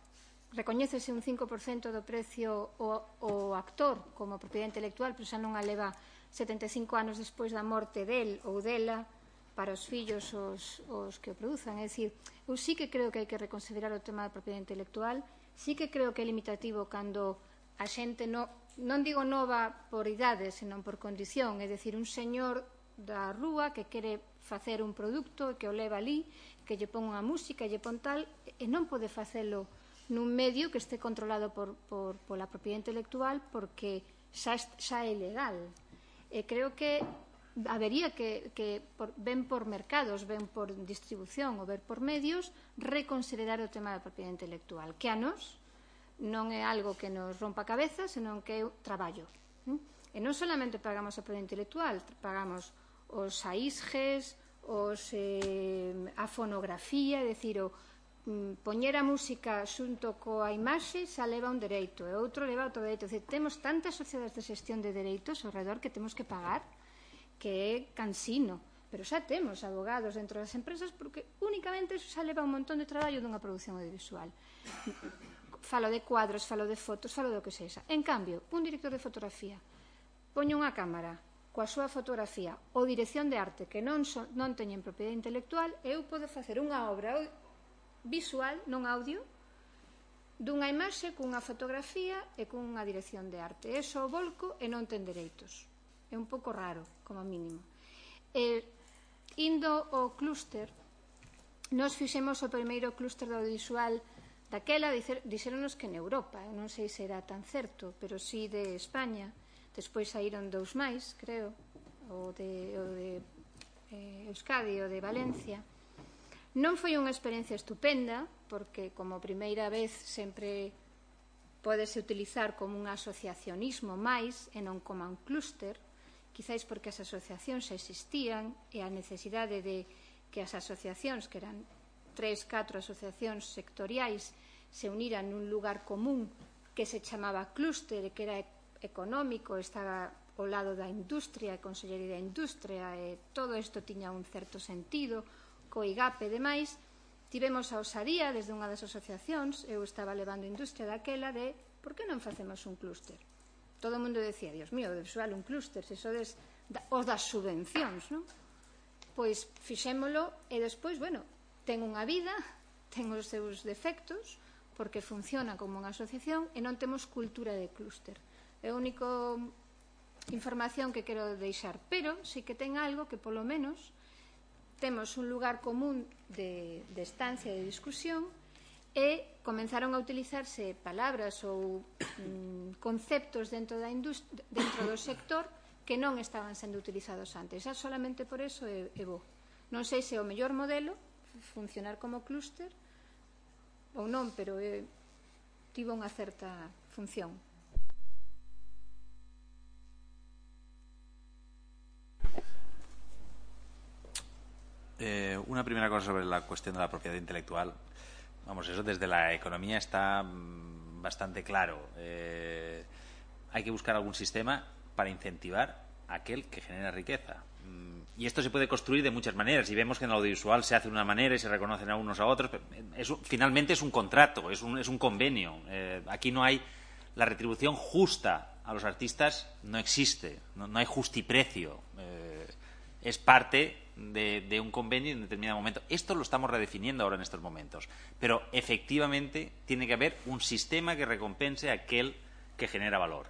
Recoñécese un 5% do precio o actor como propiedade intelectual, pero xa non a leva 75 anos despois da morte del ou dela para os fillos os que o produzan. É dicir, eu sí que creo que hai que reconsiderar o tema da propiedade intelectual, sí que creo que é limitativo cando a xente non digo nova por idade, senón por condición, é dicir, un señor da rúa que quere facer un produto e que o leva ali, que lle pon unha música e lle pon tal, e non pode facelo nun medio que este controlado pola propiedade intelectual, porque xa é legal. E creo que habería que ven por mercados, ven por distribución ou ver por medios, reconsiderar o tema da propiedade intelectual, que a nos non é algo que nos rompa a cabeza, senón que é traballo. E non solamente pagamos a propiedade intelectual, pagamos os AISGES, a fonografía, é dicir, poñer a música xunto coa imaxe xa leva un dereito, e outro leva outro dereito. É dicir, temos tantas sociedades de xestión de dereitos ao redor que temos que pagar, que é cansino, pero xa temos abogados dentro das empresas, porque únicamente eso xa leva un montón de traballo dunha produción audiovisual. Falo de cuadros, falo de fotos, falo do que sexa. En cambio, un director de fotografía poñe unha cámara coa súa fotografía ou dirección de arte que non teñen propiedade intelectual, eu podo facer unha obra visual, non audio, dunha imaxe cunha fotografía e cunha dirección de arte. Eso o volco e non ten dereitos. É un pouco raro, como mínimo. Indo ao clúster, nos fixemos o primeiro clúster do audiovisual daquela, dixéronos que en Europa, non sei se era tan certo, pero sí de España. Despois saíron dous máis, creo, o de Euskadi e o de Valencia. Non foi unha experiencia estupenda, porque como primeira vez sempre pódese utilizar como un asociacionismo máis e non como un clúster, quizáis porque as asociacións existían e a necesidade de que as asociacións, que eran 3-4 asociacións sectoriais, se uniran nun lugar común que se chamaba clúster e que era económico, estaba ao lado da industria, a Consellería da Industria, e todo isto tiña un certo sentido, co IGAP e demais. Tivemos a osadía desde unha das asociacións, eu estaba levando industria daquela, de por que non facemos un clúster? Todo o mundo decía, Dios mío, debe ser un clúster, se sodes os das subvencións, non? Pois fixémolo e despois, bueno, ten unha vida, ten os seus defectos, porque funciona como unha asociación e non temos cultura de clúster. É a única información que quero deixar, pero sí que ten algo que polo menos temos un lugar común de estancia, de discusión, e comenzaron a utilizarse palabras ou conceptos dentro do sector que non estaban sendo utilizados antes. Xa solamente por eso é bo. Non sei se é o mellor modelo funcionar como clúster ou non, pero tivo unha certa función. Una primera cosa sobre la cuestión de la propiedad intelectual. Vamos, eso desde la economía está bastante claro. Hay que buscar algún sistema para incentivar a aquel que genera riqueza. Y esto se puede construir de muchas maneras. Y vemos que en el audiovisual se hace de una manera y se reconocen a unos a otros. Pero finalmente es un contrato, es un convenio. Aquí no hay la retribución justa a los artistas, no existe. No hay justiprecio. Es parte de un convenio en determinado momento. Esto lo estamos redefiniendo ahora en estos momentos. Pero efectivamente tiene que haber un sistema que recompense a aquel que genera valor.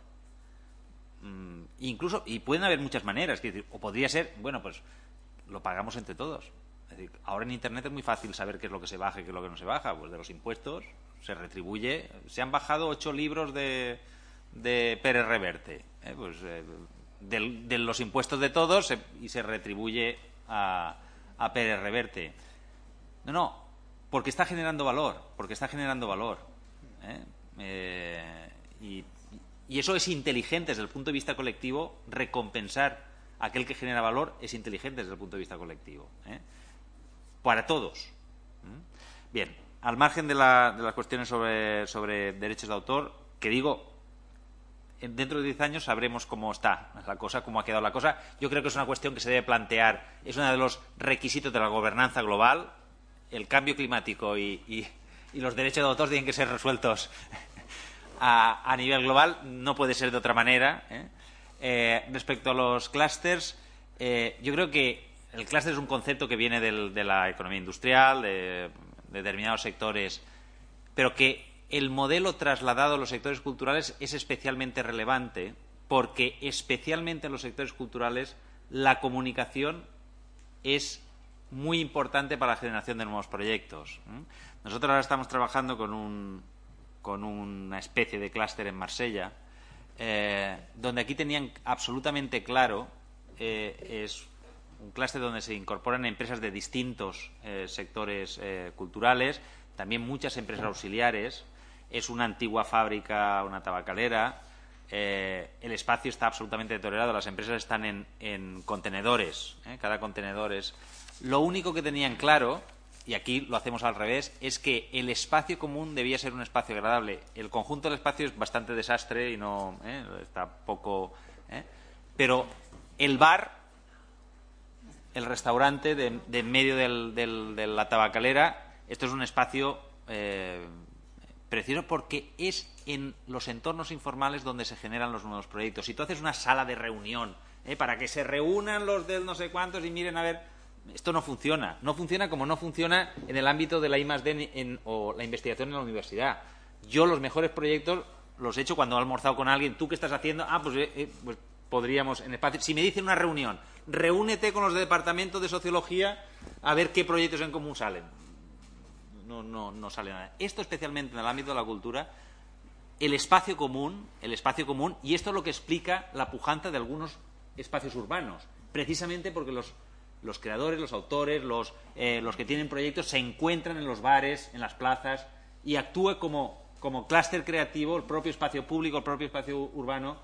Incluso, y pueden haber muchas maneras, o podría ser, bueno, pues lo pagamos entre todos. Es decir, ahora en Internet es muy fácil saber qué es lo que se baja y qué es lo que no se baja. Pues de los impuestos se retribuye. Se han bajado 8 libros de Pérez Reverte. De los impuestos de todos y se retribuye a Pérez Reverte. No, porque está generando valor. Y eso es inteligente desde el punto de vista colectivo. Recompensar a aquel que genera valor es inteligente desde el punto de vista colectivo. Para todos. Bien, al margen de las cuestiones sobre derechos de autor, que digo, dentro de 10 años sabremos cómo está la cosa, cómo ha quedado la cosa. Yo creo que es una cuestión que se debe plantear. Es uno de los requisitos de la gobernanza global. El cambio climático y los derechos de autor tienen que ser resueltos a nivel global. No puede ser de otra manera. Respecto a los clústers, yo creo que el clúster es un concepto que viene de la economía industrial, de determinados sectores, pero que el modelo trasladado a los sectores culturales es especialmente relevante porque especialmente en los sectores culturales la comunicación es muy importante para la generación de nuevos proyectos. Nosotros ahora estamos trabajando con una especie de clúster en Marsella, donde aquí tenían absolutamente claro, es un clúster donde se incorporan empresas de distintos sectores culturales, también muchas empresas auxiliares. Es una antigua fábrica, una tabacalera. El espacio está absolutamente deteriorado. Las empresas están en contenedores. Cada contenedor es... Lo único que tenían claro, y aquí lo hacemos al revés, es que el espacio común debía ser un espacio agradable. El conjunto del espacio es bastante desastre y no está poco... Pero el bar, el restaurante de en medio de la tabacalera, esto es un espacio... precioso porque es en los entornos informales donde se generan los nuevos proyectos. Si tú haces una sala de reunión para que se reúnan los del no sé cuántos y miren a ver, esto no funciona. No funciona como no funciona en el ámbito de la I+D o la investigación en la universidad. Yo los mejores proyectos los he hecho cuando he almorzado con alguien. ¿Tú qué estás haciendo? Pues podríamos en espacio. Si me dicen una reunión, reúnete con los de departamento de sociología a ver qué proyectos en común salen. No sale nada. Esto especialmente en el ámbito de la cultura, el espacio común, y esto es lo que explica la pujanza de algunos espacios urbanos, precisamente porque los creadores, los autores, los que tienen proyectos se encuentran en los bares, en las plazas, y actúa como como clúster creativo, el propio espacio público, el propio espacio urbano,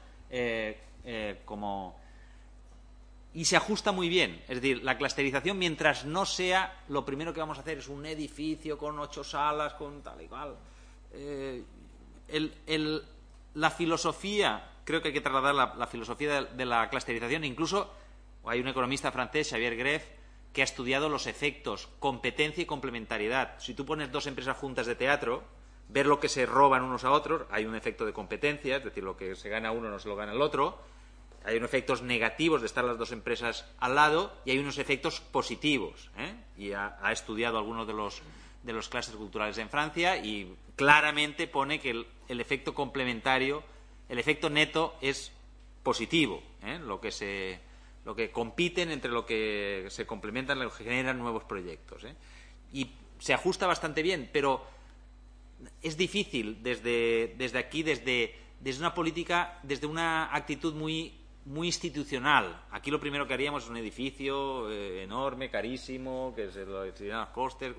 y se ajusta muy bien. Es decir, la clusterización, mientras no sea lo primero que vamos a hacer es un edificio con 8 salas, con tal y cual. La filosofía, creo que hay que trasladar la filosofía de la clusterización. Incluso hay un economista francés, Xavier Greff, que ha estudiado los efectos competencia y complementariedad. Si tú pones 2 empresas juntas de teatro, ver lo que se roban unos a otros, hay un efecto de competencia, es decir, lo que se gana uno no se lo gana el otro. Hay unos efectos negativos de estar las 2 empresas al lado y hay unos efectos positivos. Y ha estudiado algunos de los clústeres culturales en Francia y claramente pone que el efecto complementario, el efecto neto es positivo. Lo que compiten entre lo que se complementan, lo que generan nuevos proyectos. Y se ajusta bastante bien, pero es difícil desde aquí, desde una política, desde una actitud muy institucional. Aquí lo primero que haríamos es un edificio enorme, carísimo, que se lo decidirán los costes,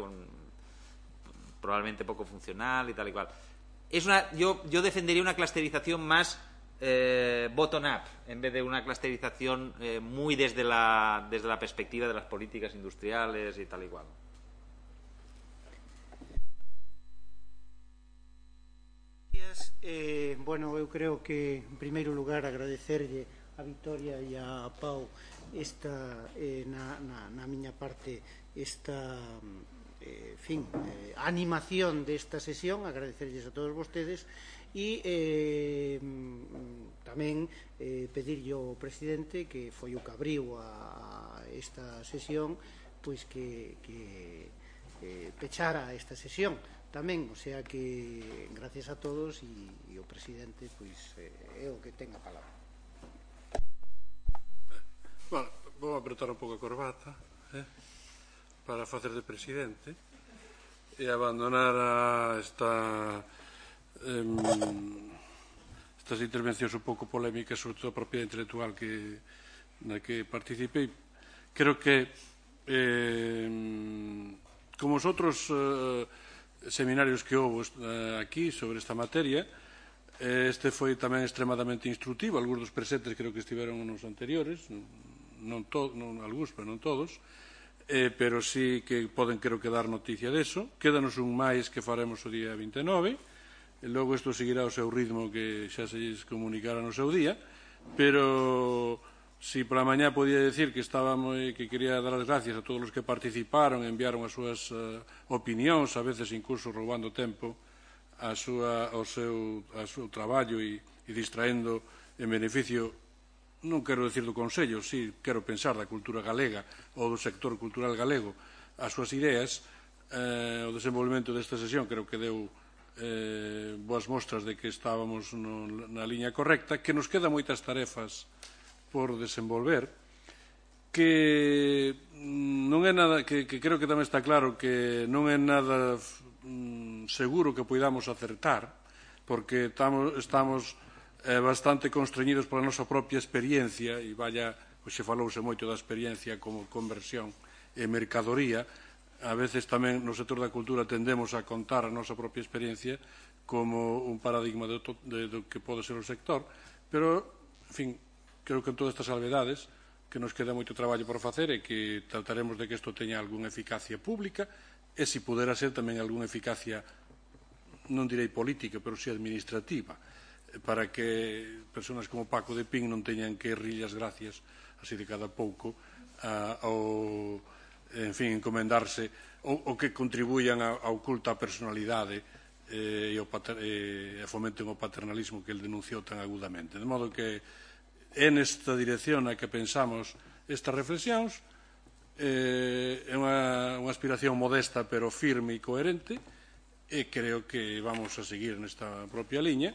probablemente poco funcional y tal y cual. Yo defendería una clusterización más bottom-up, en vez de una clusterización muy desde la perspectiva de las políticas industriales y tal y cual. Bueno, eu creo que en primeiro lugar agradecerlle a Victoria e a Pau na miña parte esta animación desta sesión, agradecerlles a todos vostedes e tamén pedirlle ao presidente, que foi o que abriu a esta sesión, pois que pechara esta sesión tamén, o sea que gracias a todos e o presidente pois é o que ten a palabra. Bueno, vou apretar un pouco a corbata para facer de presidente e abandonar estas intervencións un pouco polémicas, sobre todo a propiedade intelectual na que participei. Creo que como os outros seminarios que houve aquí sobre esta materia, este foi tamén extremadamente instructivo. Algúns dos presentes creo que estiveron nos anteriores, non algúns, pero non todos, pero sí que poden, creo que, dar noticia deso. Quédanos un máis que faremos o día 29, e logo isto seguirá o seu ritmo que xa se lles comunicará no seu día, pero si pola mañá podía decir que quería dar as gracias a todos os que participaron, enviaron as súas opinións, a veces incluso roubando tempo ao seu traballo e distraendo en beneficio, non quero decir do Consello, si quero pensar da cultura galega ou do sector cultural galego, as súas ideas. O desenvolvemento desta sesión creo que deu boas mostras de que estábamos na liña correcta, que nos quedan moitas tarefas por desenvolver, que non é nada, que creo que tamén está claro que non é nada seguro que poidamos acertar, porque estamos bastante constreñidos pola nosa propia experiencia, e se falouse moito da experiencia como conversión e mercadoría. A veces tamén no sector da cultura tendemos a contar a nosa propia experiencia como un paradigma do que pode ser o sector, pero, en fin, creo que en todas estas salvedades que nos queda moito traballo por facer e que trataremos de que isto teña algunha eficacia pública e, se pudera ser, tamén algunha eficacia, non direi política, pero si administrativa, para que persoas como Paco de Pin non teñan que rirlle as gracias así de cada pouco ou, en fin, encomendarse ou que contribuyan ao culto á personalidade e fomenten o paternalismo que el denunciou tan agudamente. De modo que é nesta dirección na que pensamos estas reflexións. É unha aspiración modesta pero firme e coherente, e creo que vamos a seguir nesta propia liña.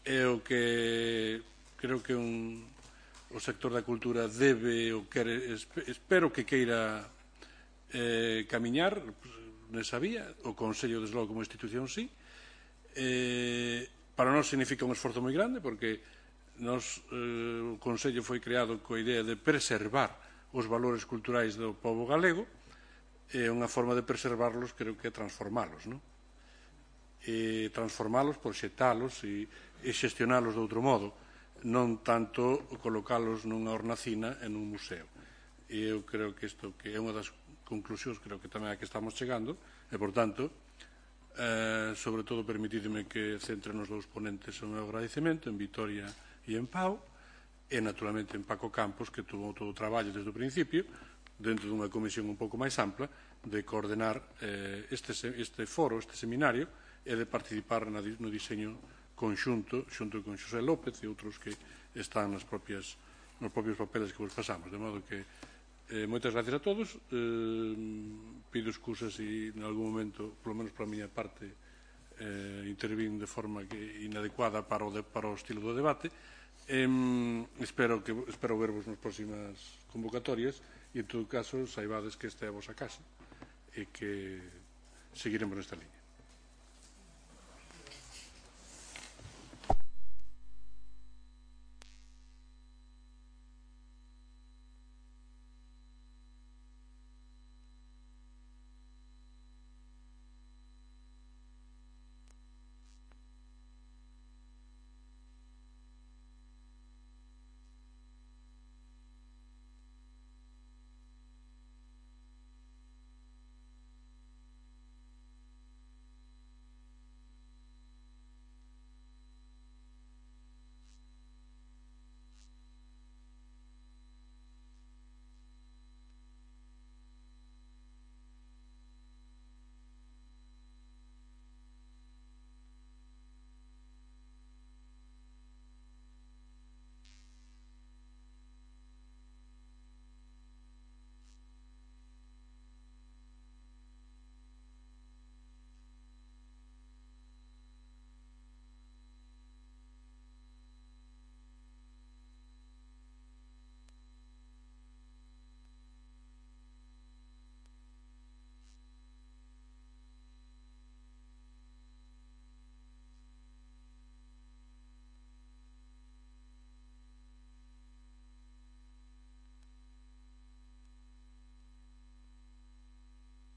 É o que creo que o sector da cultura debe ou quere, espero que queira camiñar nesa vía. O Consello, desde logo, como institución, sí. Para nós significa un esforzo moi grande, porque o Consello foi creado coa idea de preservar os valores culturais do pobo galego, e unha forma de preservarlos creo que é transformalos, non? transformalos, proxectalos e xestionalos de outro modo, non tanto colocalos nunha hornacina en un museo. E eu creo que isto que é unha das conclusións, creo que tamén a que estamos chegando, e, por tanto, sobre todo, permitidme que centre nos dous ponentes o meu agradecemento, en Vitoria e en Pau, e, naturalmente, en Paco Campos, que tuvo todo o traballo desde o principio, dentro dunha comisión un pouco máis ampla, de coordenar este foro, este seminario, e de participar no diseño conxunto, xunto con Xosé López e outros que están nos propios papeles que vos pasamos. De modo que moitas gracias a todos. Pido excusas se en algún momento, polo menos para a miña parte, intervín de forma inadecuada para o estilo do debate. Espero vervos nas próximas convocatorias e, en todo caso, saibades que esta é a vosa casa e que seguiremos nesta liña.